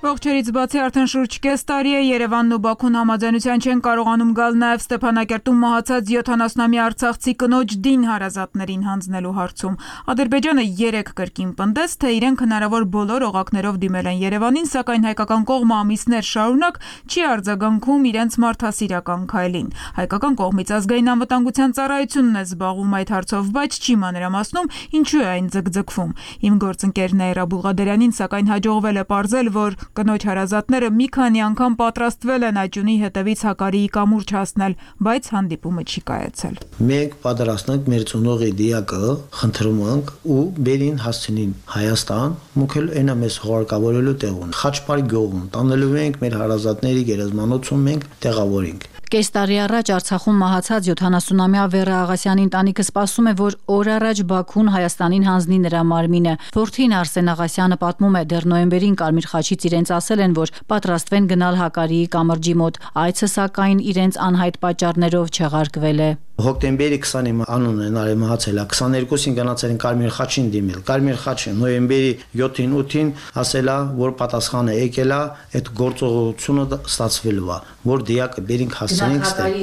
E: Ողջերից բացի արդեն շուրջ կես տարի է Երևանն ու Բաքուն համաձայնության չեն կարողանում գալ նաև Ստեփանակերտում մահացած 70-ամյա արցախցի կնոջ դին հարազատներին հանձնելու հարցում։ Ադրբեջանը 3 կրկին պնդեց, թե իրենք հնարավոր բոլոր օղակներով դիմել են Երևանին, սակայն հայկական կողմը ամիսներ շարունակ չի արձագանքում իրենց մարդասիրական քայլին։ Հայկական կողմից ազգային անվտանգության ծառայությունն է զբաղվում այդ հարցով, բայց չի մանրամասնում ինչու է այն ձգձգվում։ Իմ գործընկեր Նաիրա Բուլղադերյանին սակայն հաջողվել է պարզել, որ կնոջ հարազատները մի քանի անգամ պատրաստվել են աճյունի հետևից Հակարիի կամուրջ հասնել, բայց հանդիպումը չի կայացել։
P: Մենք պատրաստ ենք մեր ծնողի դիակը խնդրում ենք ու բերին հասցնին Հայաստան, մուքել այնա մեզ հողարկավորելու տեղուն։ Խաչմարի գյուղում տանելու ենք մեր հարազատների գերեզմանոցում մենք տեղավորենք։
Q: Կես տարի առաջ Արցախում մահացած 70-ամյա Վերա Աղասյանի ընտանիքը սպասում է, որ օր առաջ Բաքուն Հայաստանին հանձնի նրա մարմինը։ Որդին Արսեն Աղասյանը պատմում է, դեռ նոյեմբերին Կարմիր խաչից իրենց ասել են, որ պատրաստվեն գնալ Հակարիի կամրջի մոտ։ Այցը սակայն իրենց անհայտ պատճառներով չեղարկվել է։
P: Հոկտեմբերի 20-ին անունը նարի մահացել է, 22-ին գնացել են Կարմիր խաչին դիմել։ Կարմիր խաչը նոյեմբերի 7-ին 8-ին ասելա, որ պատասխանը եկել է, այդ գործողությունը ստացվելու է, որ դիակը բերինք հասցնենք ստեղ։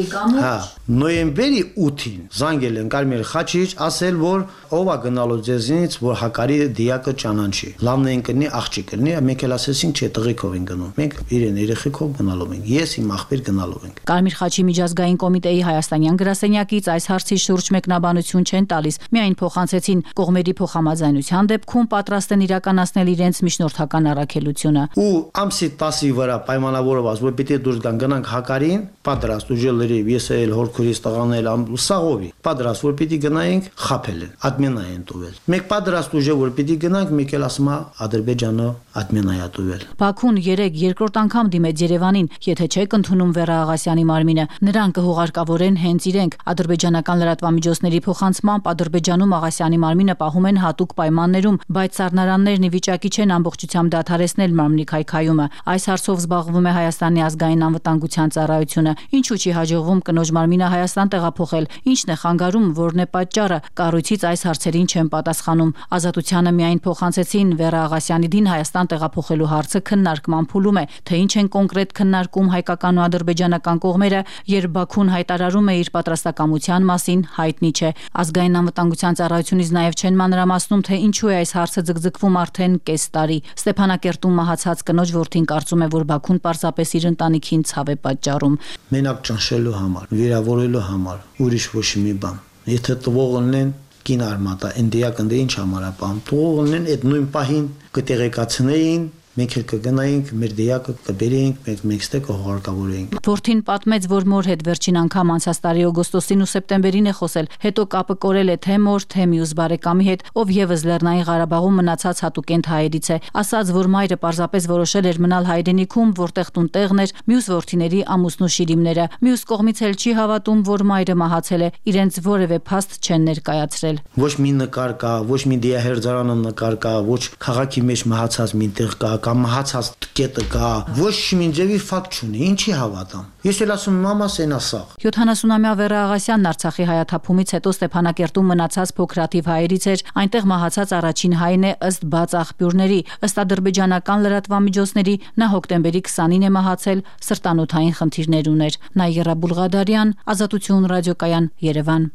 P: Հա, նոյեմբերի 8-ին զանգել են Կարմիր խաչիչ, ասել, որ ով է գնալու ձեզնից, որ հակարի դիակը ճանաչի։ Լավն են կնի, աղջիկ կնի, մենք էլ ասեցինք, չէ, տղիկով են գնում։ Մենք իրեն երեխեքով գնալով ենք։ Ես իմ աղբեր գնալով ենք։
Q: Կարմիր խաչի միջազգային կոմիտեի հայաստանյան գրասենյակից այս հարցի շուրջ մեկնաբանություն չեն տալիս, միայն փոխանցեցին կողմերի փոխհամաձայնության դեպքում պատրաստ են իրականացնել իրենց միջնորդական առաքելությունը։
P: Ու ամսի 10-ի վրա պայմանավորված, որ պիտի դուրս գանք հակարին, պատրաստ ուժելերի, ես էլ հորքորից տղանել սաղովի, պատրաստ որ պիտի գնայինք, խափել են, ադմենա են տուվել։ Մենք պատրաստ ուժը որ պիտի գնանք, մեկ էլ ասում է Ադրբեջանը ադմենա է տուվել։
Q: Բաքուն 3 երկրորդ անգամ դիմեց Երևանին, եթե չեք ընդունում Վերա Աղասյանի մարմինը, նրան կհուղարկավորեն հենց իրենք։ Ադրբեջանական լրատվամիջոցների փոխանցմամբ Ադրբեջանում Աղասյանի մարմինը պահում են հատուկ պայմաններում, բայց սառնարաններն ի վիճակի չեն ամբողջությամբ դադարեցնել մարմնի քայքայումը։ Այս հարցով զբաղվում է Հայաստանի ազգային անվտանգության ծառայությունը։ Ինչու չի հաջողվում կնոջ մարմինը Հայաստան տեղափոխել։ Ինչն է խանգարում, որն է պատճառը։ Կառույցից այս հարցերին չեն պատասխանում։ Ազատությանը միայն փոխանցեցին Վերա Աղասյանի դին Հայաստան տեղափոխելու հարցը քննարկման փուլում է, թե ինչ են կոնկրետ քննարկում հայկական ու ադրբեջանական կողմերը, երբ Բաքուն հայտարարում է իր պատրաստակամության մասին, հայտնի չէ։ Ազգային անվտանգության ծառայությունից նաև չեն մանրամասնում, թե ինչու է այս հարցը ձգձգվում արդեն կես տարի։ Ստեփանակերտում մահացած կնոջ որդին կարծում է, որ Բաքուն պարզապես իր ընտանիքին ցավ է պատճառում։
P: Մենակ ճնշելու համար, վիրավորելու համար, ուրիշ ոչ մի բան։ Եթե տվողն են կին արմատա, ընդիակն դե ինչ համար է բան։ Տվողն են այդ նույն պահին կտեղեկացնեին, մենք էլ կգնայինք, մեր դիակը կբերեինք, մենք ստե կհուղարկավորեինք։
Q: Որդին պատմեց, որ մոր հետ վերջին անգամ անցած տարի օգոստոսին ու սեպտեմբերին է խոսել, հետո կապը կորել է թե մոր, թե մյուս բարեկամի հետ, ով եւս Լեռնային Ղարաբաղում մնացած հատուկենտ հայերից է, ասաց, որ մայրը պարզապես որոշել էր մնալ հայրենիքում, որտեղ տուն տեղն էր, մյուս որդիների ամուսնու շիրիմները։ Մյուս կողմից էլ չի հավատում, որ մայրը մահացել է, իրենց որևէ փաստ չեն ներկայացրել։
P: Ոչ մի նկար կա, ոչ մի դիահերձարանը նկար կա, ոչ քաղաքի մեջ մահացած մի տեղ կա, կամ մահացած կետը կա, ոչ մի ձևի ֆակտ չունի, ինչի հավատամ։ Ես էլ ասում եմ, մամաս են ասաղ։
Q: 70-ամյա Վերա Աղասյանն Արցախի հայաթափումից հետո Ստեփանակերտում մնացած փոքրաթիվ հայերից էր, այնտեղ մահացած առաջին հայն է ըստ բաց աղբյուրների, ըստ ադրբեջանական լրատվամիջոցների, նա հոկտեմբերի 20-ին է մահացել, սրտանոթային խնդիրներ ուներ։ Նայերա Բուլղադարյան, Ազատություն ռադիոկայան, Երևան։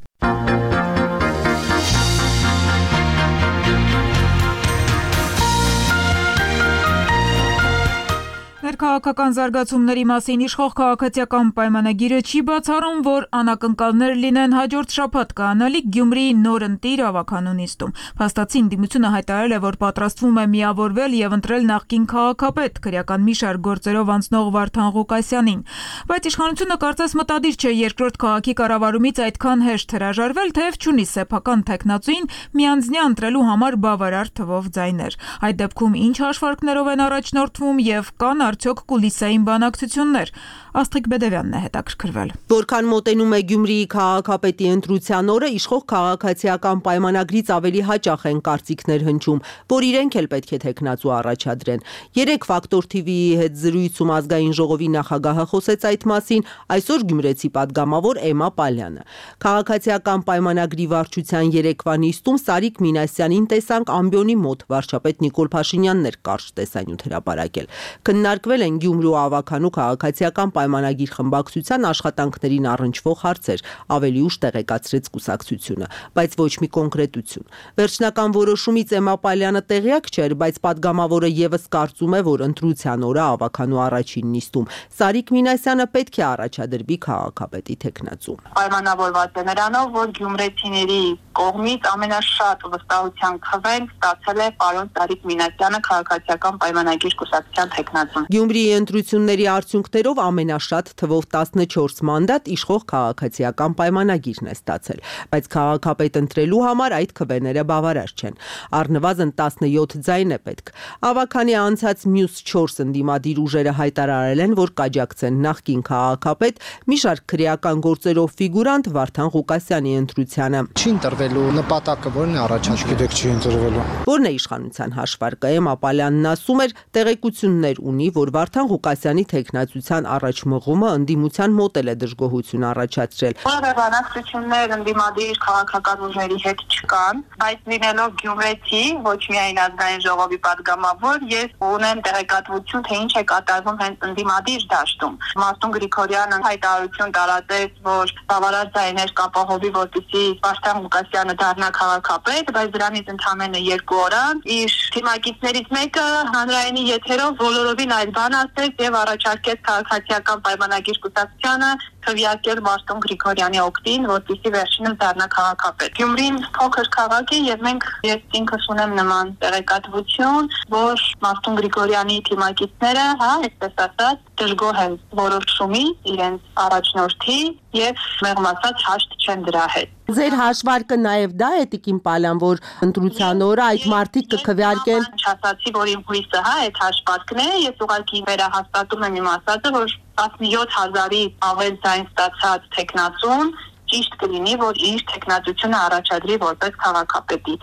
E: Քաղաքական զարգացումների մասին իշխող քաղաքացիական պայմանագիրը չի բացառում, որ անակնկալներ լինեն հաջորդ շաբաթ կանալիք Գյումրիի նոր ընտիր ավականու նիստում։ Փաստացին դիմությունը հայտարարել է, որ պատրաստվում է միավորվել եւ ընտրել նախկին քաղաքապետ քրեական մի շարք գործերով անցնող Վարդան Ղուկասյանին։ Բայց իշխանությունը կարծես մտադիր չէ երկրորդ քաղաքի կառավարումից այդքան հեշտ հրաժարվել, թեև չունի սեփական տեխնացուին միանձնյա ընտրելու համար բավարար թվով ձայներ։ Այդ դեպքում ինչ հաշվարկներով են առաջնորդվում եւ կան արդյոք կուլիսային բանակցություններ։ Աստղիկ Բեդևյանն է հետաքրքրվել։
R: Որքան մոտենում է Գյումրիի քաղաքապետի ընտրության օրը, իշխող քաղաքացիական պայմանագրից ավելի հաճախ են կարծիքներ հնչում, որ իրենք էլ պետք է տեխնացու առաջադրեն։ 3 Ֆակտոր TV-ի հետ զրույցում ազգային ժողովի նախագահը խոսեց այդ մասին, այսօր գյումրեցի падգամավոր Էմա Պալյանը։ Քաղաքացիական պայմանագրի վարչության երեկվա նիստում Սարիկ Մինասյանին տեսանք ամբիոնի մոտ, վարչապետ Նիկոլ Փաշինյանն էր կարճ տեսանյութ հրապարակել։ Քննարկվել են Գյումրու ավականու քաղաքացիական պայմանագիր խմբակցության աշխատանքներին առնչվող հարցեր, ավելի ուշ տեղեկացրեց կուսակցությունը, բայց ոչ մի կոնկրետություն։ Վերջնական որոշումից Էմա Պալյանը տեղյակ չէր, բայց падգամավորը եւս կարծում է, որ ընտրության օրը ավականու առաջին նիստում Սարիկ Մինասյանը պետք է առաջադրվի քաղաքապետի տեխնացու։
C: Պայմանավորված է նրանով, որ գյումրեցիների կողմից ամենաշատ վստահության քվեն ստացել է պարոն Սարիկ Մինասյանը քաղաքացիական պայմանագիր կուսակցության տեխնացուն։
R: Գյումրիի ընտրությունների արդյունքներով ամենաշատ թվով 14 մանդատ իշխող քաղաքացիական պայմանագիրն է ստացել, բայց քաղաքապետ ընտրելու համար այդ քվեները բավարար չեն։ Առնվազն 17 ձայն է պետք։ Ավականի անցած մյուս 4 ընդդիմադիր ուժերը հայտարարել են, որ կաջակցեն նախկին քաղաքապետ մի շարք քրեական գործերով ֆիգուրանտ Վարդան Ղուկասյանի ընտրությանը։
S: Չի ընտրվելու նպատակը ո՞րն է առաջ գիտեք չի ընտրվելու։
R: Որն է իշխանության հաշվարկը։ Էմա Պալյանն ասում էր, տեղեկություններ ունի, որ Վարդան Ղուկասյանի թեկնածության առաջմղումը ընդդիմության մոտ է դժգոհություն առաջացրել։
C: Որևէ բանակցություններ ընդդիմադիր քաղաքական ուժերի հետ չկան, բայց լինելով գյումրեցի, ոչ միայն ազգային ժողովի падգամավոր, ես ունեմ տեղեկատվություն, թե ինչ է կատարվում հենց ընդդիմադիր դաշտում։ Մարտուն Գրիգորյանը հայտարարություն տարածեց, որ բավարար ձայներ կապահովի, որպեսզի Վարդան Ղուկասյանը դառնա քաղաքապետ, բայց դրանից ընդամենը 2 օր անց իր թիմակիցներից մեկը հանրայինի եթերով բոլորովին այլ բան ասեց եւ առաջարկեց քաղաքացիական պայմանագիր կուսակցությանը քվեարկել Մարտուն Գրիգորյանի օգտին, որպեսզի վերջինս դառնա քաղաքապետ։ Գյումրին փոքր քաղաք է եւ ես ինքս ունեմ նման տեղեկատվություն, որ Մարտուն Գրիգորյանի թիմակիցները, այսպես ասած, դժգոհ են որոշումից իրենց առաջնորդի եւ մեղմ ասած հաշտ չեն դրա հետ։
R: Ձեր հաշվարկը նաև դա է Տիկին Պալյան, որ ընտրության օրը այդ մարդիկ կքվեարկեն։
C: Չասացի, որ իմ հույսը այդ հաշվարկն է, ես ուղղակի վերահաստատում եմ իմ ասածը, որ 17000-ի ավել ձայն ստացած տեխնացուն ճիշտ կլինի, որ իր տեխնացությունը առաջադրի որպես քաղաքապետի։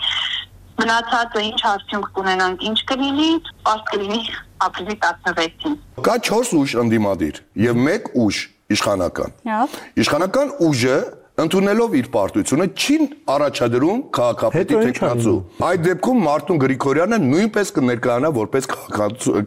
C: Մնացածը ինչ արդյունք կունենանք, ինչ կլինի, պարզ կլինի ապրիլի 16-ին։
T: Կա 4 ուժ ընդդիմադիր եւ 1 ուժ իշխանական։ Իշխանական ուժը ընդունելով իր պարտությունը չի առաջադրում քաղաքապետի տեխնացու։ Այդ դեպքում Մարտուն Գրիգորյանը նույնպես կներկայանա որպես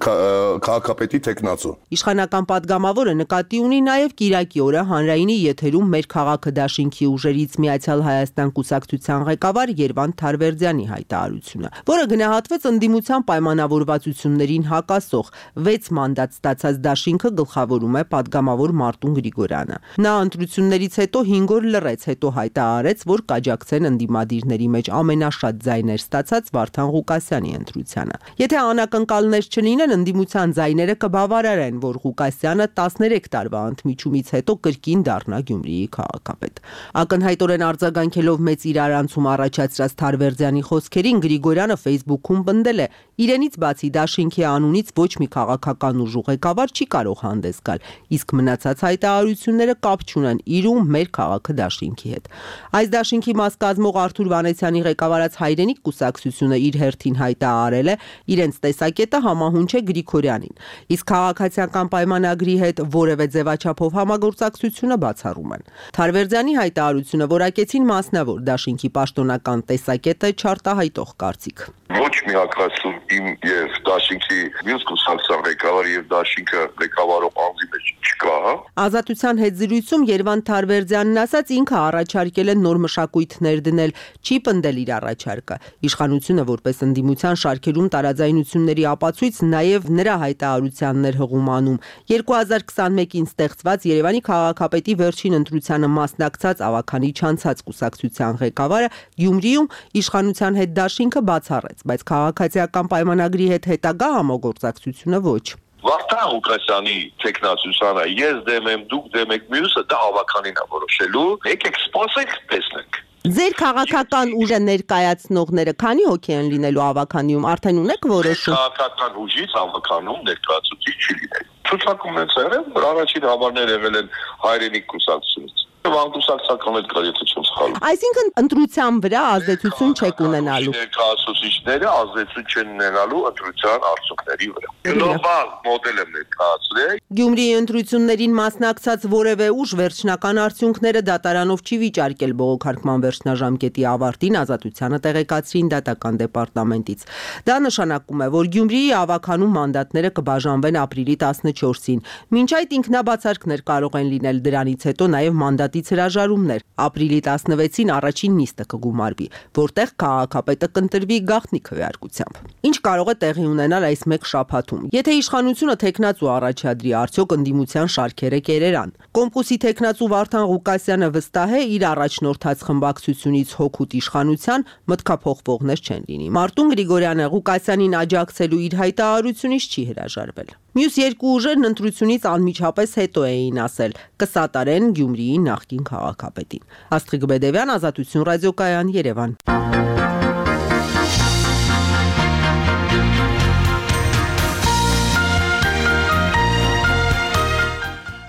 T: քաղաքապետի տեխնացու։
R: Իշխանական падգամավորը նկատի ունի նաև Կիրակի օրը հանրայինի եթերում մեր քաղաքը դաշինքի ուժերից Միացյալ Հայաստան կուսակցության ղեկավար Երվանդ Թարվերդյանի հայտարարությունը, որը գնահատվեց ընդդիմության պայմանավորվածություններին հակասող 6 մանդատ ստացած դաշինքը գլխավորում է падգամավոր Մարտուն Գրիգորյանը։ Նա ընտրություններից հետո 5 օր լռեց, հետո հայտարարեց, որ կաջակցեն ընդդիմադիրների մեջ ամենաշատ ձայներ ստացած Վարդան Ղուկասյանի ընտրությանը։ Եթե անակնկալներ չլինեն, ընդդիմության ձայները կբավարարեն, որ Ղուկասյանը 13 տարվա ընդմիջումից հետո կրկին դառնա Գյումրիի քաղաքապետ։ Ակնհայտորեն արձագանքելով մեծ իրարանցում առաջացրած Թարվերդյանի խոսքերին Գրիգորյանը Facebook-ում պնդել է. իրենից բացի դաշինքի անունից ոչ մի քաղաքական ուժ ղեկավար չի կարող հանդես գալ, իսկ մնացած հայտարարությունները կապ չունեն իր ու մեր քաղաքը դաշինքի հետ։ Այս դաշինքի մաս կազմող Արթուր Վանեցյանի ղեկավարած Հայրենիք կուսակցությունը իր հերթին հայտարարել է իրենց տեսակետը համահունչ է Գրիգորյանին, իսկ քաղաքացիական պայմանագրի հետ որևէ ձևաչափով համագործակցությունը բացառում են։ Թարվերդյանի հայտարարությունը որակեցին մասնավոր դաշինքի պաշտոնական տեսակետը չարտահայտող կարծիք։
T: Ոչ միակասում իմ եւ դաշինքի մյուս կուսակցության ղեկավարի եւ դաշինքը ղեկավարող անձի մեջ չկա։
R: Ազատության հետ զրույցում Երվանդ Թարվերդյանն ասաց ինքը առաջարկել է նոր մշակույթներ դնել, չի պնդել իր առաջարկը։ Իշխանությունը որպես ընդդիմության շարքերում տարաձայնությունների ապացույց նաև նրա հայտարարությաններ հղումանում 2021-ին ստեղծված Երևանի քաղաքապետի վերջին ընտրությանը մասնակցած ավականի չանցած կուսակցության ղեկավարը Գյումրիում իշխանության հետ դաշինքը բացառեց, բայց քաղաքացիական պայմանագրի հետ հետագա համագործակցությունը ոչ։
T: Վարդան Ղուկասյանի տեխնացությանը ես դեմ եմ, դուք դեմ եք, մյուսը դա ավականին է որոշելու։ Եկեք սպասենք, տեսնենք։
R: Ձեր քաղաքական ուժը ներկայացնողները քանի հոգի են լինելու ավականիում, արդեն ունեք որոշում։
T: Քաղաքական ուժից ավականում ներկայացուցիչ չի լինել։ Ցուցակում են եղել, որ առաջին համարներ եղել են Հայրենիք կուսակցությունից։ Անկուսակցական էլ կա, եթե չեմ սխալվում։
R: Այսինքն ընտրության վրա ազդեցություն չեք ունենալու։
T: Ներկայացուցիչները ազդեցություն չեն ունենալու ընտրության արդյունքների վրա։ Գլոբալ մոդել եմ ներկայացրել։
R: Գյումրիի ընտրություններին մասնակցած որևէ ուժ վերջնական արդյունքները դատարանով չի վիճարկել բողոքարկման վերջնաժամկետի ավարտին ազատությանը տեղեկացրին դատական դեպարտամենտից։ Դա նշանակում է, որ Գյումրիի ավականու մանդատները կբաժանվեն ապրիլի 14-ին։ Մինչ այդ ինքնաբացարկներ կարող են լինել, դրանից հետո նաև մանդատից հրաժարումներ։ Ապրիլի 16-ին առաջին նիստը կգումարվի, որտեղ քաղաքապետը կընտրվի գաղտնի քվեարկությամբ։ Ինչ կարող է տեղի ունենալ այս մեկ շաբաթում։ Եթե իշխանությունը տեխնացու առաջադրի, արդյոք ընդդիմության շարքերը կերերան։ Կոմկուսի տեխնացու Վարդան Ղուկասյանը վստահ է իր առաջնորդած խմբակցությունից հոգուտ իշխանության մտքափոխվողներ չեն լինի։ Մարտուն Գրիգորյանը Ղուկասյանին աջակցելու իր հայտարարությունից չի հրաժարվել։ Մյուս երկու ուժերն ընտրությունից անմիջապես հետո էին ասել կսատարեն Գյումրիի նախկին քաղաքապետին։ Աստղիկ Բեդևյան, Ազատություն ռադիոկայան, Երևան։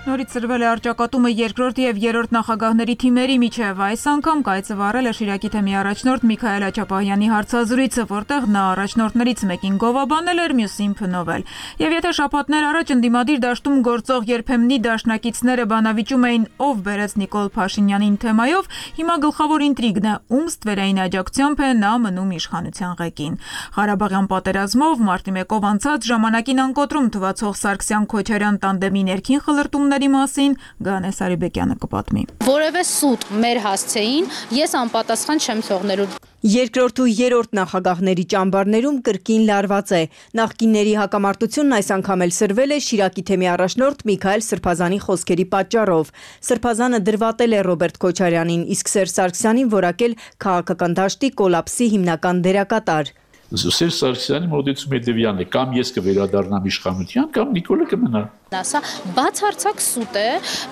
E: Նորից արձանագրվել է առճակատումը երկրորդ եւ երրորդ նախագահների թիմերի միջև։ Այս անգամ կայծը վառել է Շիրակի թեմի առաջնորդ Միքայել Աչապահյանի հարցազրույցը, որտեղ նա առաջնորդներից մեկին գովաբանել էր, մյուսին փնովել։ Եվ եթե շաբաթներ առաջ ընդդիմադիր դաշտում գործող երբեմնի դաշնակիցները բանավիճում էին ով բերեց Նիկոլ Փաշինյանին թեմայով, հիմա գլխավոր ինտրիգն է ում ստվերային աջակցությամբ է նա մնում իշխանության ղեկին։ Ղարաբաղյան պատերազմով մարտի 1-ով անցած ժամանակին անկոտրում թվացող Սարգսյան-Քոչարյան տանդեմի ներքին խլրտումների մասին Գանե Սարիբեկյանը կպատմի։
D: Որևէ սուտ մեր հասցեին ես անպատասխան չեմ թողնելու։
U: Երկրորդ ու երրորդ նախագահների ճամբարներում կրկին լարված է։ Նախկինների հակամարտությունն այս անգամ էլ սրվել է Շիրակի թեմի առաջնորդ Միքայել Սրբազանի խոսքերի պատճառով։ Սրբազանը դրվատել է Ռոբերտ Քոչարյանին, իսկ Սերժ Սարգսյանին որակել քաղաքական դաշտի կոլապսի հիմնական դերակատար։
V: Սերժ Սարգսյանի մոտեցումը հետևյալն է՝ կամ ես կվերադառնամ իշխանության, կամ Նիկոլը կմնա։
D: Սա բացարձակ սուտ է։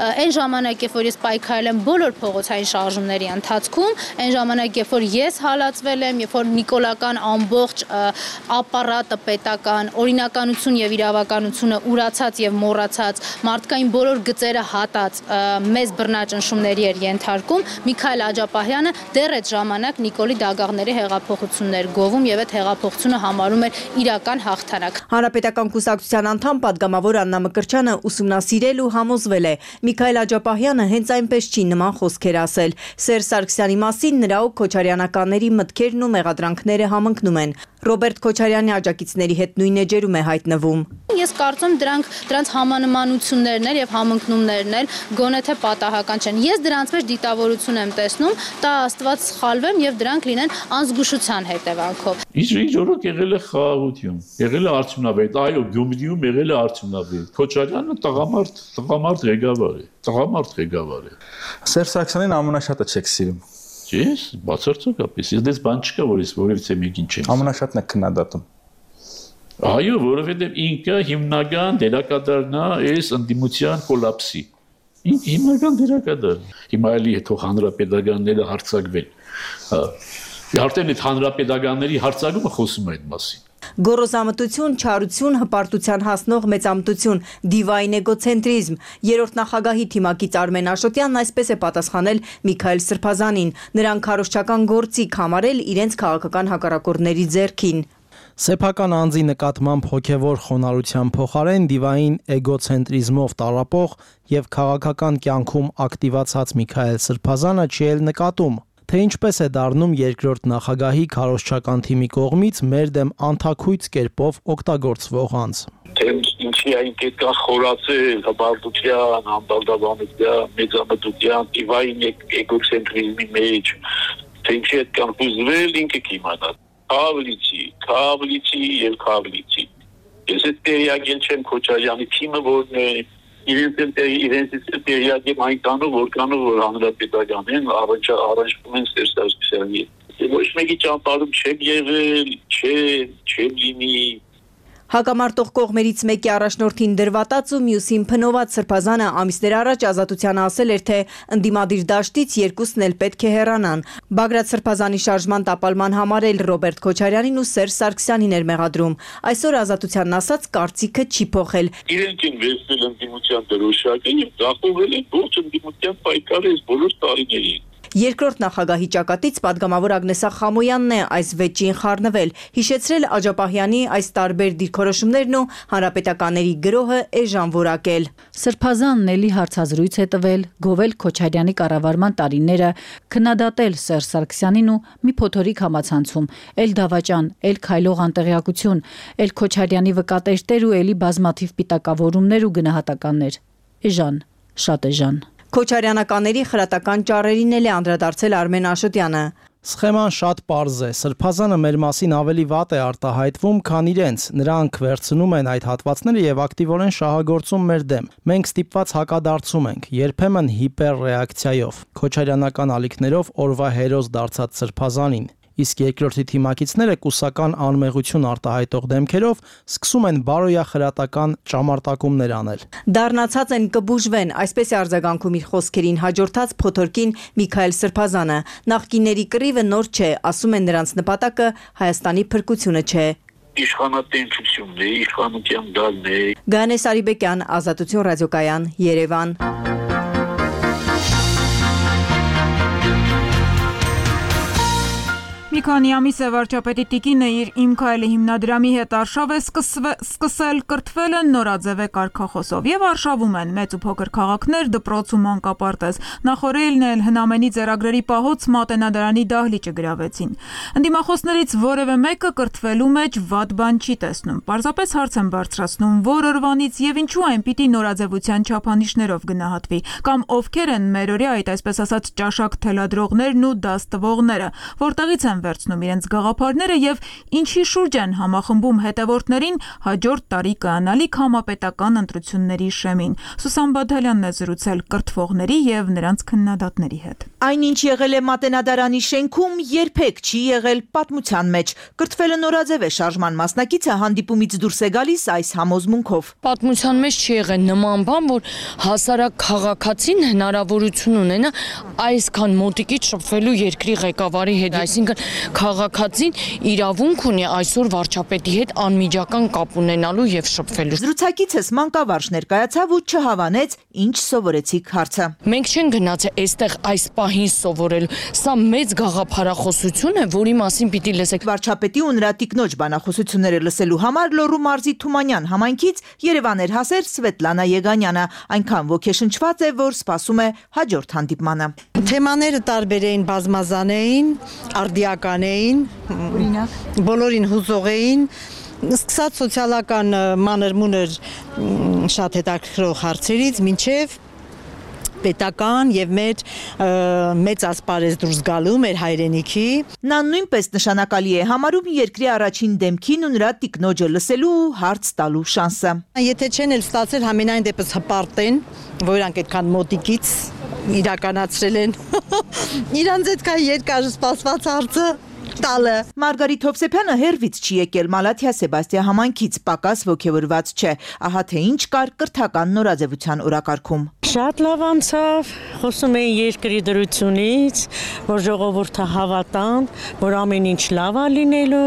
D: Այն ժամանակ, երբ որ ես պայքարել եմ բոլոր փողոցային շարժումների ընթացքում, այն ժամանակ, երբ որ ես հալածվել եմ, երբ որ նիկոլական ամբողջ ապարատը պետական, օրինականություն եւ իրավականությունը ուրացած եւ մոռացած, մարդկային բոլոր գծերը հատած մեծ բռնաճնշումների էր ենթարկում, Միքայել Աջապահյանը դեռ այդ ժամանակ Նիկոլի դագաղների հեղափոխություններ գովում եւ այդ հեղափոխությունը համարում էր իրական հաղթանակ։
U: Հանրապետական կուսակցության անդամ պատգամավոր Աննա Մկրտչյանը ուսումնասիրել ու համոզվել է Միքայել Աջապահյանը հենց այնպես չի նման խոսքեր ասել։ Սերժ Սարգսյանի մասին նրա ու քոչարյանականների մտքերն ու մեղադրանքները համընկնում են։ Ռոբերտ Քոչարյանի աջակիցների հետ նույն էջերում է հայտնվում։
D: Ես կարծում դրանց համանմանություններն են եւ համընկնումներն են գոնե թե պատահական չեն։ Ես դրանց մեջ դիտավորություն եմ տեսնում, տա Աստված սխալվեմ եւ դրանք լինեն անզգուշության հետևանքով։
V: Ինչ օրոք եղել է խաղաղություն, եղել է արդյունավետ, այո, Գյումրիում եղել է արդյունավետ։ Քոչարյանը տղամարդ ղեկավար է, տղամարդ ղեկավար է։
W: Սերժ Սարգսյանին ամենաշատը չեք սիրում։
V: Ես բացարձակապես, ես դες բան չկա, որ ես որևիցե մեկին չեմ։
W: Ամենաշատն է քննադատում։
V: Այո, որովհետև ինքը հիմնական դերակատարն է այս ընդդիմության կոլապսի։ Հիմնական դերակատար։ Հիմա էլի թող հանրապետականները հարցակվեն։ Արդեն այդ հանրապետականների հարցակումը խոսում է այդ մասին։
U: Գոռոզամտություն, չարություն, հպարտության հասնող մեծամտություն, դիվային էգոցենտրիզմ։ Երրորդ նախագահի թիմակից Արմեն Աշոտյանն այսպես է պատասխանել Միքայել Սրբազանին, նրան քարոզչական գործիք համարել իրենց քաղաքական հակառակորդների ձեռքին։
H: Սեփական անձի նկատմամբ հոգևոր խոնարհության փոխարեն դիվային էգոցենտրիզմով տառապող եւ քաղաքական կյանքում ակտիվացած Միքայել Սրբազանը չի էլ նկատում, թե ինչպես է դառնում երկրորդ նախագահի քարոզչական թիմի կողմից մեր դեմ անթաքույց կերպով օգտագործվող անձ։
X: Թե ինչի այն կետկա խորացել հպարտության, անբալդաբանության, մեծամտության, դիվային էգոցենտրիզմի մեջ, թե ինչի այդքան հուզվել ինքը կիմանա։ Քավլիցի եւ քավլիցի։ Ես այդ տեղյակին չեմ Քոչարյանի թիմը որն է, իրենց տեղյակ եմ այնքանով որ հանրապետական են առնչվում են Սերժ Սարգսյանի հետ։ Ոչ մեկի ճամփարում չեմ եղել, չեմ լինի։
U: Հակամարտող կողմերից մեկի առաջնորդին դրվատած ու մյուսին փնոված Սրբազանը ամիսներ առաջ Ազատությանը ասել էր, թե ընդդիմադիր դաշտից երկուսն էլ պետք է հեռանան։ Բագրատ Սրբազանի շարժման տապալման համար էլ Ռոբերտ Քոչարյանին ու Սերժ Սարգսյանին էր մեղադրում։ Այսօր Ազատությանն ասած կարծիքը չի փոխել։
X: Իրենք են վերցնել ընդդիմության դրոշակը եւ դախուվել են ողջ ընդդիմության պայքարը բոլոր տարիներին։
U: Երկրորդ նախագահի ճակատից պատգամավոր Ագնեսա Խամոյանն է այս վեճին խառնվել, հիշեցրել Աջապահյանի այս տարբեր դիրքորոշումներն ու հանրապետականների գրոհը էժան որակել։
Q: Սրբազանն էլի հարցազրույց է տվել, գովել Քոչարյանի կառավարման տարիները, քննադատել Սերժ Սարգսյանին ու մի փոթորիկ համացանցում, էլ դավաճան, էլ քայլող անտեղյակություն, էլ Քոչարյանի վկատերտեր ու էլի բազմաթիվ պիտակավորումներ ու գնահատականներ։ Էժան, շատ էժան։
U: Քոչարյանականների խրատական ճառերին էլ է անդրադարձել Արմեն Աշոտյանը։
H: Սխեման շատ պարզ է։ Սրբազանը մեր մասին ավելի վատ է արտահայտվում, քան իրենց։ Նրանք վերցնում են այդ հատվածները եւ ակտիվորեն շահագործում մեր դեմ։ Մենք ստիպված հակադարձում ենք, երբեմն հիպերռեակցիայով, քոչարյանական ալիքներով օրվա հերոս դարձած Սրբազանին։ Իսկ երկրորդի թիմակիցները կուսական անմեղություն արտահայտող դեմքերով սկսում են բարոյախրատական ճամարտակումներ անել։
U: Դառնացած են կբուժվեն, այսպես է արձագանքում իր խոսքերին հաջորդած փոթորկին Միքայել Սրբազանը։ Նախկինների կռիվը նոր չէ, ասում են նրանց նպատակը Հայաստանի փրկությունը չէ։
X: իշխանատենչությունն է, իշխանության գալն է։
U: Գանես Արիբեկյան, Ազատություն ռադիոկայան, Երևան։
E: Մի քանի ամիս է վարչապետի տիկինը իր «Իմ քայլը» հիմնադրամի հետ արշավ է սկսել, կրթվել են նորաձև կարգախոսով եւ արշավում են մեծ ու փոքր քաղաքներ, դպրոց ու մանկապարտեզ։ Նախորդին էլ հնամենի ձեռագրերի պահոց մատենադարանի դահլիճը գրավեցին։ Ընդդիմախոսներից որևէ մեկը կրթվելու մեջ վատ բան չի տեսնում։ Պարզապես հարց են բարձրացնում, որ օրվանից եւ ինչու այն պիտի նորաձևության չափանիշներով գնահատվի, կամ ովքեր են մերօրյա այդ այսպես ասած ճաշակ թելադրողներն ու դաս տվողները, որտեղից են վերցնում իրենց գաղափարները եւ ինչի շուրջ են համախմբում հետևորդներին հաջորդ տարի կանալիք համապետական ընտրությունների շեմին։ Սուսան Բադալյանն է զրուցել կրթվողների եւ նրանց քննադատների հետ։
A: Այնինչ եղել է մատենադարանի շենքում, երբեք չի եղել պատմության մեջ։ Կրթվելը նորաձև է, շարժման մասնակիցը հանդիպումից դուրս է գալիս այս համոզմունքով։
B: Պատմության մեջ չի եղել նման բան, որ հասարակ քաղաքացին հնարավորություն ունենա այսքան մոտիկից շփվելու երկրի ղեկավարի հետ, այսինքն քաղաքացին իրավունք ունի այսօր վարչապետի հետ անմիջական կապ ունենալու եւ շփվելու։
A: Զրուցակիցս մանկավարժ ներկայացավ ու չհավանեց, ինչ սովորեցիք հարցը։
B: Մենք չենք գնացել այստեղ այս պահին սովորելու։ Սա մեծ գաղափարախոսություն է, որի մասին պիտի լսեք։
A: Վարչապետի ու նրա տիկնոջ բանախոսությունները լսելու համար Լոռու մարզի Թումանյան համայնքից Երևան էր հասել Սվետլանա Եգանյանը, այնքան ոգեշնչված է, որ սպասում է հաջորդ հանդիպմանը։
F: Թեմաները տարբեր էին, բազմազան էին, արդիական էին, բոլորին հուզող էին, սկսած սոցիալական մանր-մունր շատ հետաքրքրող հարցերից մինչև պետական եւ մեր մեծ ասպարեզ դուրս գալու մեր հայրենիքի։
A: Նա նույնպես նշանակալի է համարում երկրի առաջին դեմքին ու նրա տիկնոջը լսելու ու հարց տալու շանսը։
F: Եթե չեն էլ ստացել համենայն դեպս հպարտեն, որանք այդքան մոտիկից իրականացրել են իրանց այդքան երկար սպասված հարցը տալը։
A: Մարգարիտ Հովսեփյանը հերվից չի եկել Մալաթիա Սեբաստիա համայնքից, պակաս ոգևորված չէ։ Ահա թե ինչ կար կրթական նորաձևության օրակարգում։
F: Շատ լավ անցավ, խոսում էին երկրի դրությունից, որ ժողովուրդը հավատան, որ ամեն ինչ լավ է լինելու,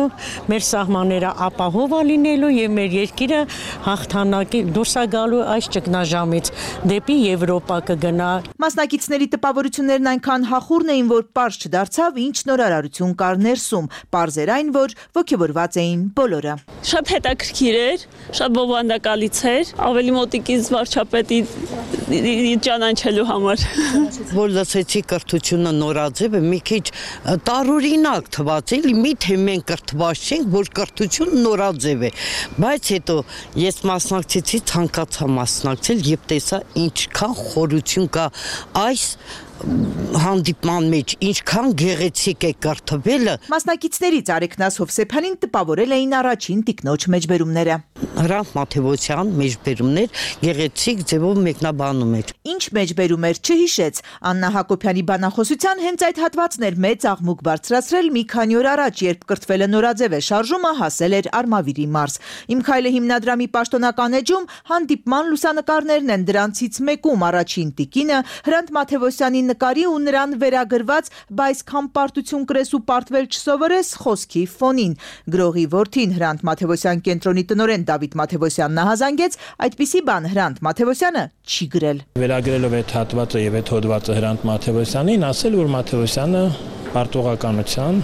F: մեր սահմանները ապահով է լինելու եւ մեր երկիրը հաղթանակի դուրս է գալու այս ճգնաժամից դեպի Եվրոպա կգնա։
A: Մասնակիցների տպավորություններն այնքան հախուռն էին, որ պարզ չդարձավ ինչ նորարարություն կար ներսում, պարզ էր այն, որ ոգևորված էին բոլորը։
G: Շատ հետաքրքիր էր, շատ բովանդակալից էր, ավելի մոտիկից վարչապետի ճանաչելու համար։
Y: Որ լսեցի կրթությունը նորաձև է, մի քիչ տարօրինակ թվաց, էլի միթե մենք կրթված չենք, որ կրթությունը նորաձև է, բայց հետո ես մասնակցեցի, ցանկացա մասնակցել եւ տեսա ինչքան խորություն կա այս հանդիպման մեջ, ինչքան գեղեցիկ է կրթվելը։
A: Մասնակիցներից Արեգնաս Հովսեփյանին տպավորել էին առաջին տիկնոջ մեջբերումները։
Y: Հրանտ Մաթևոսյան մեջբերումներ գեղեցիկ ձևով մեկնաբանում էր։
A: Ինչ մեջբերում էր չհիշեց։ Աննա Հակոբյանի բանախոսության հենց այդ հատվածն էր մեծ աղմուկ բարձրացրել մի քանի օր առաջ, երբ կրթվելը նորաձև է շարժումը հասել էր Արմավիրի մարզ։ Իմ քայլը հիմնադրամի պաշտոնական էջում հանդիպման լուսանկարներն են, դրանցից մեկում առաջին տիկինը Հրանտ Մաթևոսյանի նկարի ու նրան վերագրված «Բայց քան պարտություն կրես ու պարտվել չսովորես» խոսքի ֆոնին։ Գրողի որդին Հրանտ Մաթևոսյան կենտրոնի տնօրեն Դավիթ Մաթևոսյանն հազանգեց, այդպիսի բան Հրանտ Մաթևոսյանը չի գրել։
Z: Վերագրելով այդ հատվածը եւ այդ հոդվածը Հրանտ Մաթևոսյանին, ասել որ Մաթևոսյանը պարտողականության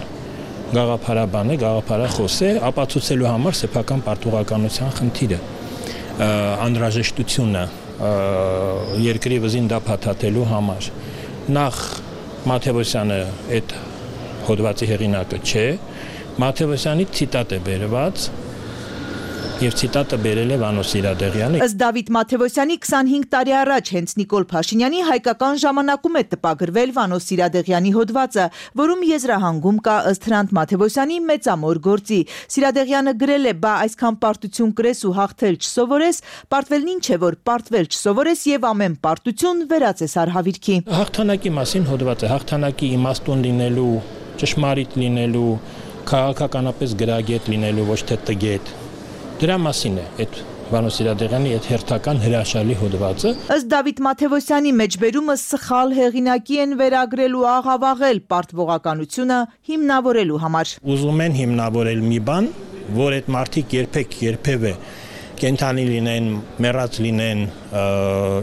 Z: գաղափարաբան է, գաղափարախոս է, ապացուցելու համար սեփական պարտողականության խնդիրը, անհրաժեշտությունը երկրի վզին դա փաթաթելու համար։ Նախ Մաթևոսյանը այդ հոդվածի հեղինակը չէ, Մաթևոսյանի ցիտատ է բերված եւ ցիտատը բերել է Վանո Սիրադեղյանը։
A: Ըստ Դավիթ Մաթևոսյանի 25 տարի առաջ հենց Նիկոլ Փաշինյանի հայկական ժամանակում է տպագրվել Վանո Սիրադեղյանի հոդվածը, որում եզրահանգում կա ըստ Հրանտ Մաթևոսյանի մեծամոր գործի։ Սիրադեղյանը գրել է՝ «Բա այսքան պարտություն կրես ու հաղթել չսովորես, պարտվելն ինչ է, որ պարտվել չսովորես եւ ամեն պարտություն վերածես արհավիրքի»։
Z: Հաղթանակի մասին հոդվածը հաղթանակի իմաստուն լինելու, ճշմարիտ լինելու, քաղաքականապես գրագետ լինելու, ոչ թե տգետ։ Դրա մասին է այդ Վանո Սիրադեղյանի այդ հերթական հրաշալի հոդվածը։
A: Ըստ Դավիթ Մաթևոսյանի մեջբերումը սխալ հեղինակի են վերագրել ու աղավաղել պարտվողականությունը հիմնավորելու համար։
Z: Ուզում են հիմնավորել մի բան, որ այդ մարդիկ երբևէ կենթանի լինեն, մեռած լինեն,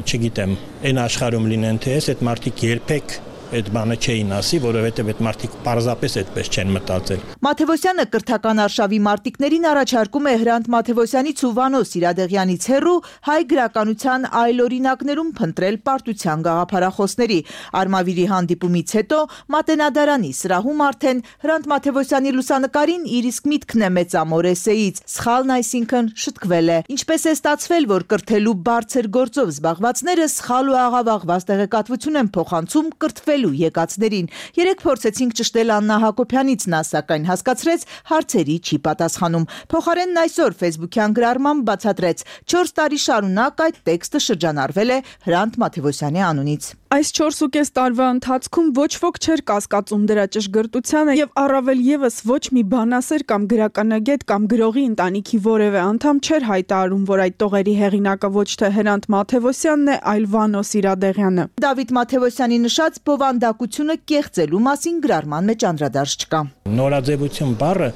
Z: չգիտեմ, այն աշխարհում լինեն թե այս այդ մարդիկ երբեք այդ բանը չէին ասի, որովհետև այդ մարդիկ պարզապես այդպես չեն մտածել։
A: Մաթևոսյանը կրթական արշավի մարտիկներին առաջարկում է Հրանտ Մաթևոսյանից ու Վանո Սիրադեղյանից հեռու հայ գրականության այլ օրինակներում փնտրել պարտության գաղափարախոսների։ Արմավիրի հանդիպումից հետո Մատենադարանի սրահում արդեն Հրանտ Մաթևոսյանի լուսանկարին իր իսկ միտքն է մեծամոր էսեից։ Սխալն այսինքն շտկվել է։ Ինչպես է ստացվել, որ կրթելու բարձր գործով զբաղվածները սխալ ու աղավաղված տեղեկատվություն են փոխանցում կրթվել եկածներին։ Երեք փորձեցինք ճշտել Աննա Հակոբյանից, նա սակայն հասկացրեց հարցերի չի պատասխանում։ Փոխարենն այսօր Facebook-յան գրառմամբ բացատրեց 4 տարի շարունակ այդ տեքստը շրջանառվել է Հրանտ Մաթևոսյանի անունից։
I: Այս 4.5 տարվա ընթացքում ոչ ոք չէր կասկածում դրա ճշգրտությանը եւ առավել եւս ոչ մի բանասեր կամ գրականագետ կամ գրողի ընտանիքի որևէ անդամ չէր հայտարարում, որ այդ տողերի հեղինակը ոչ թե Հրանտ Մաթևոսյանն է, այլ Վանո Սիրադեղյանը։
A: Դավիթ Մաթևոսյանի նշած բովանդակությունը կեղծելու մասին գրառման մեջ անդրադարձ չկա։
Z: Նորաձևություն բառը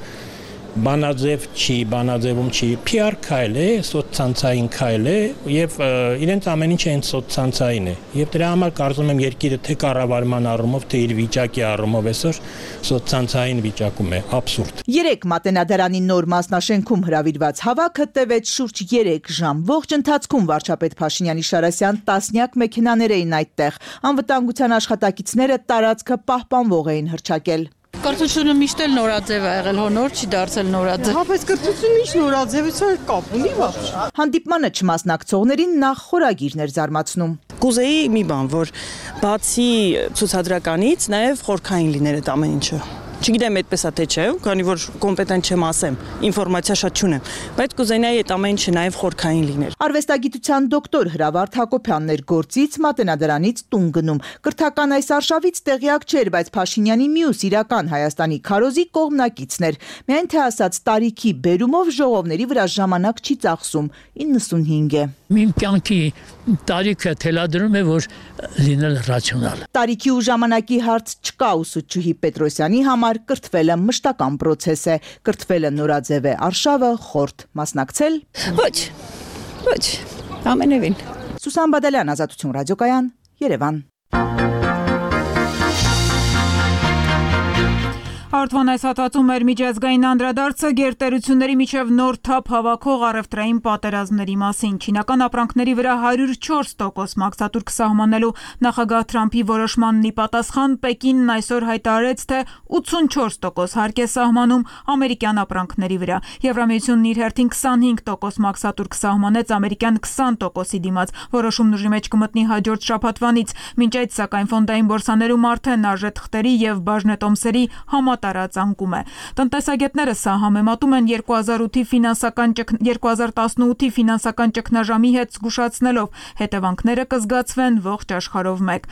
Z: բանաձևում չի, PR քայլ է, սոցցանցային քայլ է եւ իրենց ամեն ինչը այն սոցցանցային է։ Եվ դրա համար կարծում եմ երկիրը թե կառավարման առումով, թե իր վիճակի առումով այսօր սոցցանցային վիճակում է, աբսուրդ։
A: 3 Մատենադարանի նոր մասնաշենքում հրավիրված հավաքը տևեց շուրջ 3 ժամ։ Ողջ ընթացքում վարչապետ Փաշինյանի Շարասյան տասնյակ մեքենաներ էին այդտեղ։ Անվտանգության աշխատակիցները տարածքը պահպանվող էին հռչակել։
J: Կրթությունը միշտ էլ նորաձև է եղել, նոր չի դարձել նորաձև։
I: Հապես կրթությունը ինչ նորաձևության կապ ունի բաց։
A: Հանդիպմանը չմասնակցողներին նախ խորագիրներ զարմացնում։
J: Կուզեի մի բան, որ բացի ցուցադրականից նաև խորքային լիներ այդ ամեն ինչը։ Չգիտեմ այդպես է թե չէ, քանի որ կոմպետենտ չեմ ասեմ, ինֆորմացիա շատ չունեմ, բայց կուզենայի այդ ամեն ինչը նաև խորքային լիներ։
A: Արվեստագիտության դոկտոր Հրավարդ Հակոբյանն էր գործից Մատենադարանից տուն գնում։ Կրթական այս արշավից տեղյակ չէր, բայց Փաշինյանի մյուս իրական Հայաստանի քարոզի կողմնակիցն էր։ Միայն թե ասած տարիքի բերումով ժողովների վրա ժամանակ չի ծախսում, 95 է։
K: Իմ կյանքի տարիքը թելադրում է, որ լինել ռացիոնալ։
A: Տարիքի ու ժամանակի հարց չկա ուսուցչուհի Պետրոսյանի համար կրթվելը մշտական պրոցես է, կրթվելը նորաձև է, արշավը խորտ, մասնակցել։
J: Ոչ, ամենևին։
A: Սուսան Բադալյան, Ազատություն ռադիոկայան, Երևան։
E: Արդվան այս հատվածում էր միջազգային անդրադարձը գերտերությունների միջև նոր թափ հավաքող առևտրային պատերազմների մասին։ Չինական ապրանքների վրա 104% մաքսատուրք սահմանելու նախագահ Թրամփի որոշմանն ի պատասխան Պեկինն այսօր հայտարարեց, թե 84% հարկ է սահմանում ամերիկյան ապրանքների վրա։ Եվրամիությունն իր հերթին 25% մաքսատուրք սահմանեց ամերիկյան 20%-ի դիմաց։ Որոշումն ուժի մեջ կմտնի հաջորդ շաբաթվանից։ Մինչ այդ սակայն ֆոնդային բորսաներում արդեն արժեթղթերի եւ բաժնետոմսերի տարածանկում է։ Տնտեսագետները սա համեմատում են 2018-ի ֆինանսական ճգնաժամի հետ զգուշացնելով հետևանքները կզգացվեն ողջ աշխարհով մեկ։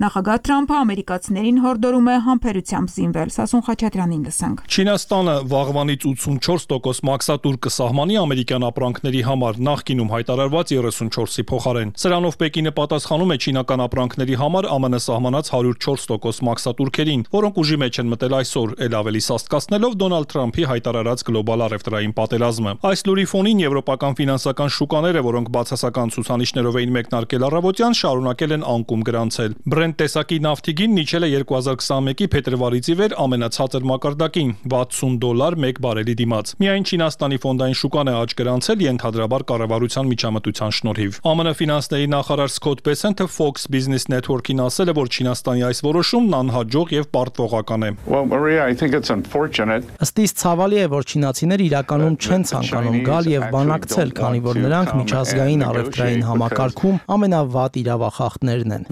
E: Նախագահ Թրամփը ամերիկացիներին հորդորում է համբերությամբ զինվել։ Սասուն Խաչատրյանին լսենք։
L: Չինաստանը վաղվանից 84% մաքսատուր կսահմանի ամերիկյան ապրանքների համար, նախկինում հայտարարված 34-ի փոխարեն։ Սրանով Պեկինը պատասխանում է չինական ապրանքների համար ԱՄՆ սահմանած 104% մաքսատուրքերին, որոնք ուժի մեջ են մտել այսօր, էլ ավելի սաստկացնելով Դոնալդ Թրամփի հայտարարած գլոբալ առևտրային պատերազմը։ Այս լուրի ֆոնին եվրոպական ֆինանսական շուկաները, որոնք բացասական ցուցանիշներով էին մեկնարկել առավոտյան, շարունակել են անկում գրանցել։ Brent տեսակի նավթիգին իջել է 2021-ի փետրվարից ի վեր ամենացածր մակարդակին՝ $60 1 բարելի դիմաց։ Միայն Չինաստանի ֆոնդային շուկան է աճ գրանցել ենթադրաբար կառավարության միջամտության շնորհիվ։ ԱՄՆ ֆինանսների նախարար Սքոթ Բեսենթը Fox Business Network-ին ասել է, որ Չինաստանի այս որոշումն անհաջող եւ պարտվողական է։
H: Ըստ իս ցավալի է, որ չինացիները իրականում չեն ցանկանում գալ եւ բանակցել, քանի որ նրանք միջազգային առևտրային համակարգում ամենավատ իրավախախտներն են։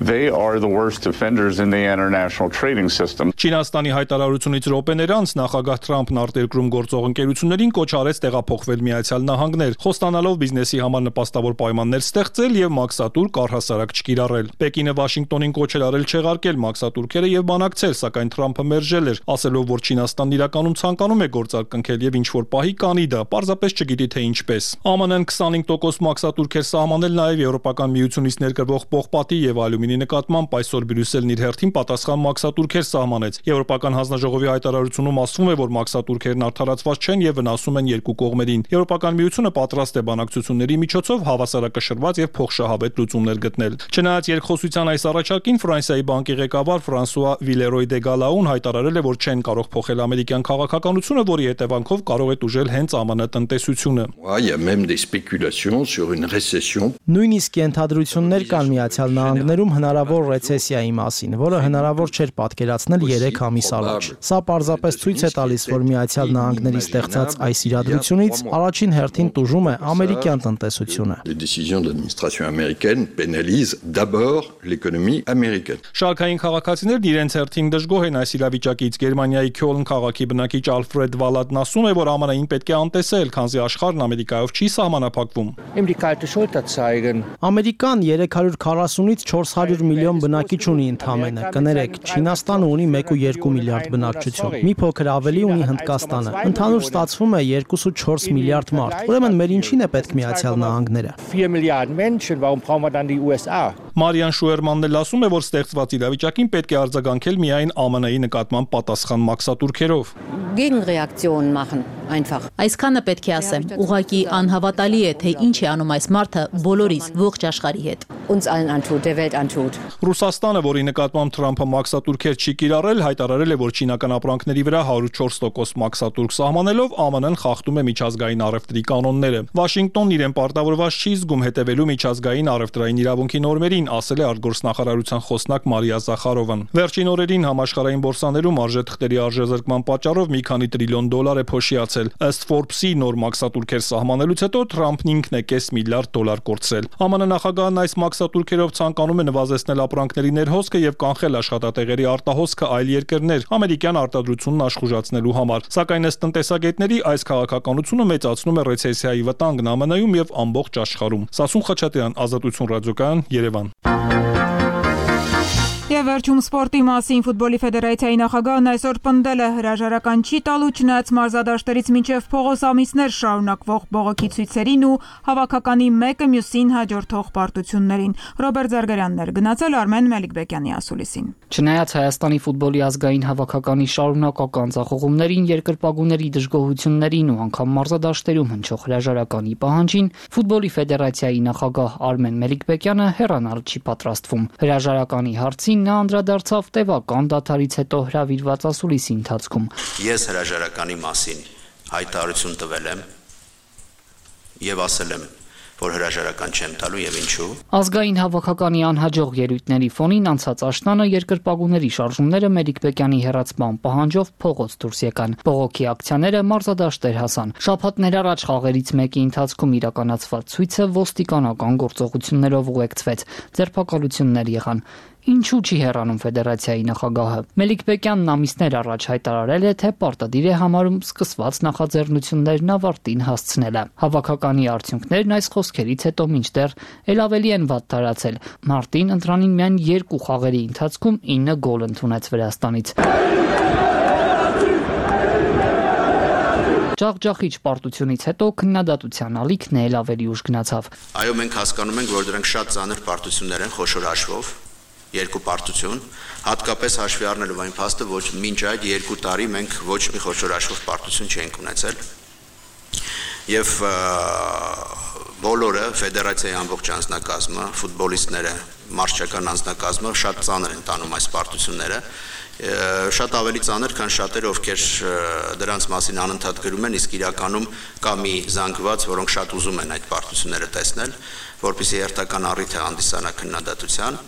L: Չինաստանի հայտարարությունից րոպեներ անց նախագահ Թրամփն արտերկրում գործող ընկերություններին կոչ արեց տեղափոխվել Միացյալ Նահանգներ, խոստանալով բիզնեսի համար նպաստավոր պայմաններ ստեղծել եւ մաքսատուրք առհասարակ չկիրառել։ Պեկինը Վաշինգտոնին կոչ էր արել չեղարկել մաքսատուրքերը եւ բանակցել, սակայն Թրամփը մերժել էր չէր, ասելով, որ Չինաստանն իրականում ցանկանում է գործարքնքել եւ ինչ որ պահի կանի դա, պարզապես չգիտի թե ինչպես։ ԱՄՆ-ն 25% մաքսատուրք էր սահմանել նաեւ Եվրոպական միությունից ներկրվող պողպատի եւ ալյումինի նկատմամբ, այսօր Բրյուսելն իր հերթին պատասխան մաքսատուրքեր սահմանեց։ Եվրոպական հանձնաժողովի հայտարարությունում ասվում է, որ մաքսատուրքերն արդարացված չեն եւ վնասում են երկու կողմերին։ Եվրոպական միությունը պատրաստ է բանակցությունների միջոցով հավասարակշռված եւ փոխշահավետ լուծումներ գտնել։ Չնայած երկխոսության այս առաջարկին Ֆրանսիայի բանկի ղեկավար Ֆրանսուଆ Վիլերոյ դե Գալաուն հայտարարել է, որ չեն կարող փոխել ամերիկյան քաղաքականությունը, որի հետևանքով կարող է տուժել հենց ԱՄՆ տնտեսությունը։
H: Նույնիսկ ենթադրություններ կան Միացյալ Նահանգներում հնարավոր ռեցեսիայի մասին, որը հնարավոր չէր պատկերացնել 3 ամիս առաջ։ Սա պարզապես ցույց է տալիս, որ Միացյալ Նահանգների ստեղծած այս իրադրությունից առաջին հերթին տուժում է ամերիկյան տնտեսությունը։
L: Շարքային քաղաքացիներն իրենց հերթին դժգոհ են այս իրավիճակից։ Գերմանիայի Քյոլն քաղաքի բնակիչ Ալֆրեդ Վալադն ասում է, որ ԱՄՆ-ին պետք է անտեսել, քանզի աշխարհն Ամերիկայով չի սահմանափակվում։
H: Ամերիկան 340-ից 400 միլիոն բնակիչ ունի ընդամենը։ Կներեք, Չինաստանը ունի 1.2 միլիարդ բնակչություն։ Մի փոքր ավելի ունի Հնդկաստանը։ Ընդհանուր ստացվում է 2.4 միլիարդ մարդ։ Ուրեմն մեր ինչին է պետք Միացյալ Նահանգները։
L: Մարիան Շուերմանն էլ ասում է, որ ստեղծված իրավիճակին պետք է արձագանքել միայն ԱՄՆ-ի նկատմամբ պատասխան մաքսատուրքերով։
C: Այսքանը պետք է ասեմ, ուղղակի անհավատալի է, թե ինչ է անում այս մարդը բոլորիս ողջ աշխարհի հետ։
L: Ռուսաստանը, որի նկատմամբ Թրամփը մաքսատուրքեր չի կիրառել, հայտարարել է, որ չինական ապրանքների վրա 104% մաքսատուրք սահմանելով ԱՄՆ-ն խախտում է միջազգային առևտրի կանոնները։ Վաշինգտոնն իրեն պարտավորված չի զգում հետևելու միջազգային առևտրային իրավունքի նորմերին, ասել է արտգործնախարարության խոսնակ Մարիա Զախարովան։ Վերջին օրերին համաշխարհային բորսաներում արժեթղթերի արժեզրկման պատճառով մի քանի տրիլիոն դոլար է փոշիացել։ Ըստ Forbes-ի նոր մաքսատուրքեր սահմանելուց հետո Թրամփն ինքն է կես միլիարդ դոլար կորցրել։ ԱՄՆ նախագահն այս մաքսատուրքերով ցանկանում է նվազեցնել ապրանքների ներհոսքը եւ կանխել աշխատատեղերի արտահոսքը այլ երկրներ ամերիկյան արտադրությունն աշխուժացնելու համար։ Սակայն ըստ տնտեսագետների այս քաղաքականությունը մեծացնում է ռեցեսիայի վտանգն ԱՄՆ-ում եւ ամբողջ աշխարհում։ Սասուն Խաչատրյան, Ազատություն ռադիոկայան, Երևան։
E: Եվ վերջում սպորտի մասին ֆուտբոլի ֆեդերացիայի նախագահն այսօր պնդել է հրաժարական չի տալու չնայած մարզադաշտերից մինչև փողոց ամիսներ շարունակվող բողոքի ցույցերին ու հավաքականի մեկը մյուսին հաջորդող պարտություններին։ Ռոբերտ Զարգարյանն էր գնացել Արմեն Մելիքբեկյանի ասուլիսին։
M: Չնայած Հայաստանի ֆուտբոլի ազգային հավաքականի շարունակական ձախողումներին, երկրպագուների դժգոհություններին ու անգամ մարզադաշտերում հնչող հրաժարականի պահանջին, ֆուտբոլի ֆեդերացիայի նախագահ Արմեն Մելիքբեկյանը հեռանալ չի պատրաստվում։ Հրաժարականի հարցին նա անդրադարձավ տևական դադարից հետո հրավիրված ասուլիսի ընթացքում։
N: Ես հրաժարականի մասին հայտարարություն տվել եմ եւ ասել եմ, որ հրաժարական չեմ տալու եւ ինչու։
M: Ազգային հավաքականի անհաջող ելույթների ֆոնին անցած աշնանը երկրպագուների շարժումները Մելիքբեկյանի հեռացման պահանջով փողոց դուրս եկան։ Բողոքի ակցիաները մարզադաշտեր հասան։ Շաբաթներ առաջ խաղերից մեկի ընթացքում իրականացված ցույցը ոստիկանական գործողություններով ուղեկցվեց։ Ձերբակալություններ եղան։ Ինչու չի հեռանում ֆեդերացիայի նախագահը։ Մելիքբեկյանն ամիսներ առաջ հայտարարել է, թե պարտադիր է համարում սկսված նախաձեռնություններն ավարտին հասցնելը։ Հավաքականի արդյունքներն այս խոսքերից հետո մինչդեռ էլ ավելի են վատ տարածել։ Մարտին ընտրանին միայն 2 խաղերի ընթացքում 9 գոլ ընդունեց Վրաստանից։ Ջախջախիչ պարտությունից հետո քննադատության ալիքն էլ ավելի ուշ գնացավ։
N: Այո, մենք հասկանում ենք, որ դրանք շատ ծանր պարտություններ են խոշոր հաշվով։ 2 պարտություն, հատկապես հաշվի առնելով այն փաստը, որ մինչ այդ 2 տարի մենք ոչ մի խոշոր հաշվով պարտություն չենք ունեցել։ Եվ բոլորը ֆեդերացիայի ամբողջ անձնակազմը, ֆուտբոլիստները, մարզչական անձնակազմը շատ ծանր են տանում այս պարտությունները, շատ ավելի ծանր, քան շատերը, ովքեր դրանց մասին անընդհատ գրում են, իսկ իրականում կա մի զանգված, որոնք շատ ուզում են այդ պարտությունները տեսնել, որպեսզի հերթական առիթ հանդիսանա քննադատության։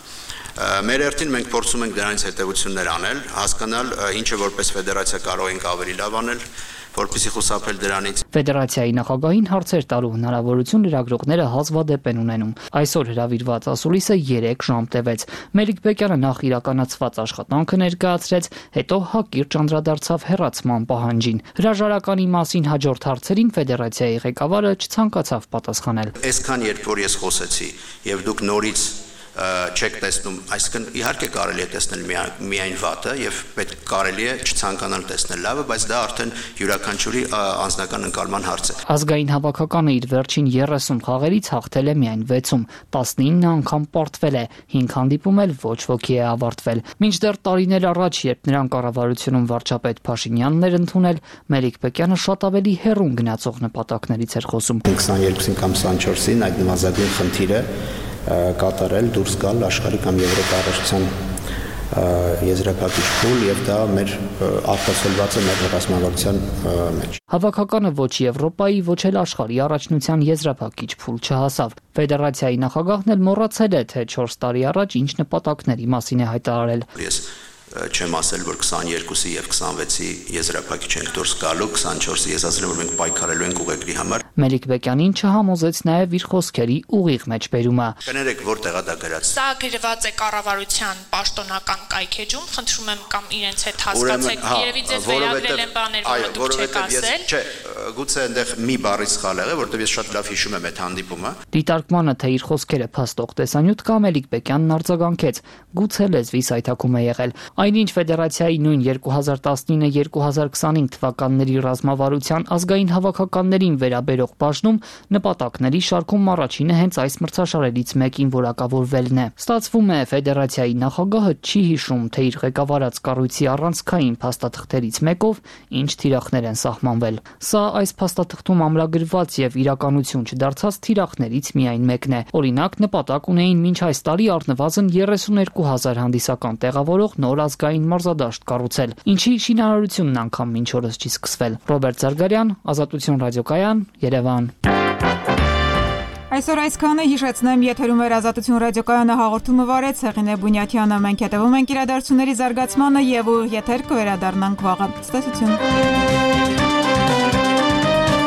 N: Մեր հերթին մենք փորձում ենք դրանից հետևություններ անել, հասկանալ ինչը որպես ֆեդերացիա կարող ենք ավելի լավ անել, որպեսզի խուսափել դրանից։
M: Ֆեդերացիայի նախագահին հարցեր տալու հնարավորություն լրագրողները հազվադեպ են ունենում։ Այսօր հրավիրված ասուլիսը 3 ժամ տևեց։ Մելիքբեկյանը նախ իրականացված աշխատանքը ներկայացրեց, հետո հակիրճ անդրադարձավ հեռացման պահանջին։ Հրաժարականի մասին հաջորդ հարցերին ֆեդերացիայի ղեկավարը չցանկացավ պատասխանել։
N: Այսքան երբ որ ես խոսեցի եւ դուք նորից չեք տեսնում, այսինքն իհարկե կարելի է տեսնել միայն վատը եւ պետք կարելի է չցանկանալ տեսնել լավը, բայց դա արդեն յուրաքանչյուրի անձնական ընկալման հարց է։
M: Ազգային հավաքականը իր վերջին 30 խաղերից հաղթել է միայն 6-ում, 19 անգամ պարտվել է, 5 հանդիպում էլ ոչ ոքի է ավարտվել։ Մինչդեռ տարիներ առաջ, երբ նրան կառավարությունում վարչապետ Փաշինյանն էր ընդունել, Մելիք Բեկյանը շատ ավելի հեռուն գնացող նպատակներից էր խոսում։
N: 22-ին կամ 24-ին այդ նվազագույն խնդիրը կատարել, դուրս գալ աշխարհի կամ Եվրոպա առաջության եզրափակիչ փուլ եւ դա մեր արտացոլված է մեր ռազմավարության մեջ։
M: Հավաքականը ոչ Եվրոպայի, ոչ էլ աշխարհի առաջնության եզրափակիչ փուլ չհասավ։ Ֆեդերացիայի նախագահն էլ մոռացել է, թե 4 տարի առաջ ինչ նպատակների մասին է հայտարարել։
N: Ես չեմ ասել, որ 22-ի եւ 26-ի եզրափակիչ ենք դուրս գալու, 24-ի ես ասել եմ, որ մենք պայքարելու ենք ուղեգրի համար։
M: Մելիք Բեկյանին չհամոզեց նաեւ իր խոսքերի ուղիղ մեջբերումը։
N: Կներեք, որտեղ է դա գրած։
D: Սա գրված է կառավարության պաշտոնական կայքեջում, խնդրում եմ կամ իրենց հետ հասկացեք, երևի ձեզ վերագրել են բաներ, որը դուք չեք ասել։
N: Չէ, գուցե այնտեղ մի բառի սխալ եղել, որովհետեւ ես շատ լավ հիշում եմ այդ հանդիպումը։
M: Դիտարկմանը, թե իր խոսքերը փաստող տեսանյութ կա, Մելիք Բեկյանն արձագանքեց։ Գուցե լեզվի սայթակում է եղել։ Այնինչ Ֆեդերացիայի նույն 2019-2025 թվականների ռազմավարության ազգային հավաքականներին վերաբերող բաժնում նպատակների շարքում առաջինը հենց այս մրցաշարերից մեկին որակավորվելն է։ Ստացվում է, Ֆեդերացիայի նախագահը չի հիշում, թե իր ղեկավարած կառույցի առանցքային փաստաթղթերից մեկով ինչ թիրախներ են սահմանվել։ Սա այս փաստաթղթում ամրագրված եւ իրականություն չդարձած թիրախներից միայն մեկն է։ Օրինակ, նպատակ ունեին մինչ այս տարի առնվազն 32,000 հանդիսական տեղավորող նոր ազգային մարզադաշտ կառուցել, ինչի շինարարությունն անգամ մինչ օրս չի սկսվել։ Ռոբերտ Զարգարյան, Ազատություն ռադիոկայան, Երևան։
E: Այսօր այսքանը, հիշեցնեմ, եթերում էր Ազատություն ռադիոկայանը, հաղորդումը վարեց Հեղինե Բունյաթյանը։ Մենք հետևում ենք իրադարձությունների զարգացմանը եւ եթեր կվերադառնանք վաղը։ Ցտեսություն։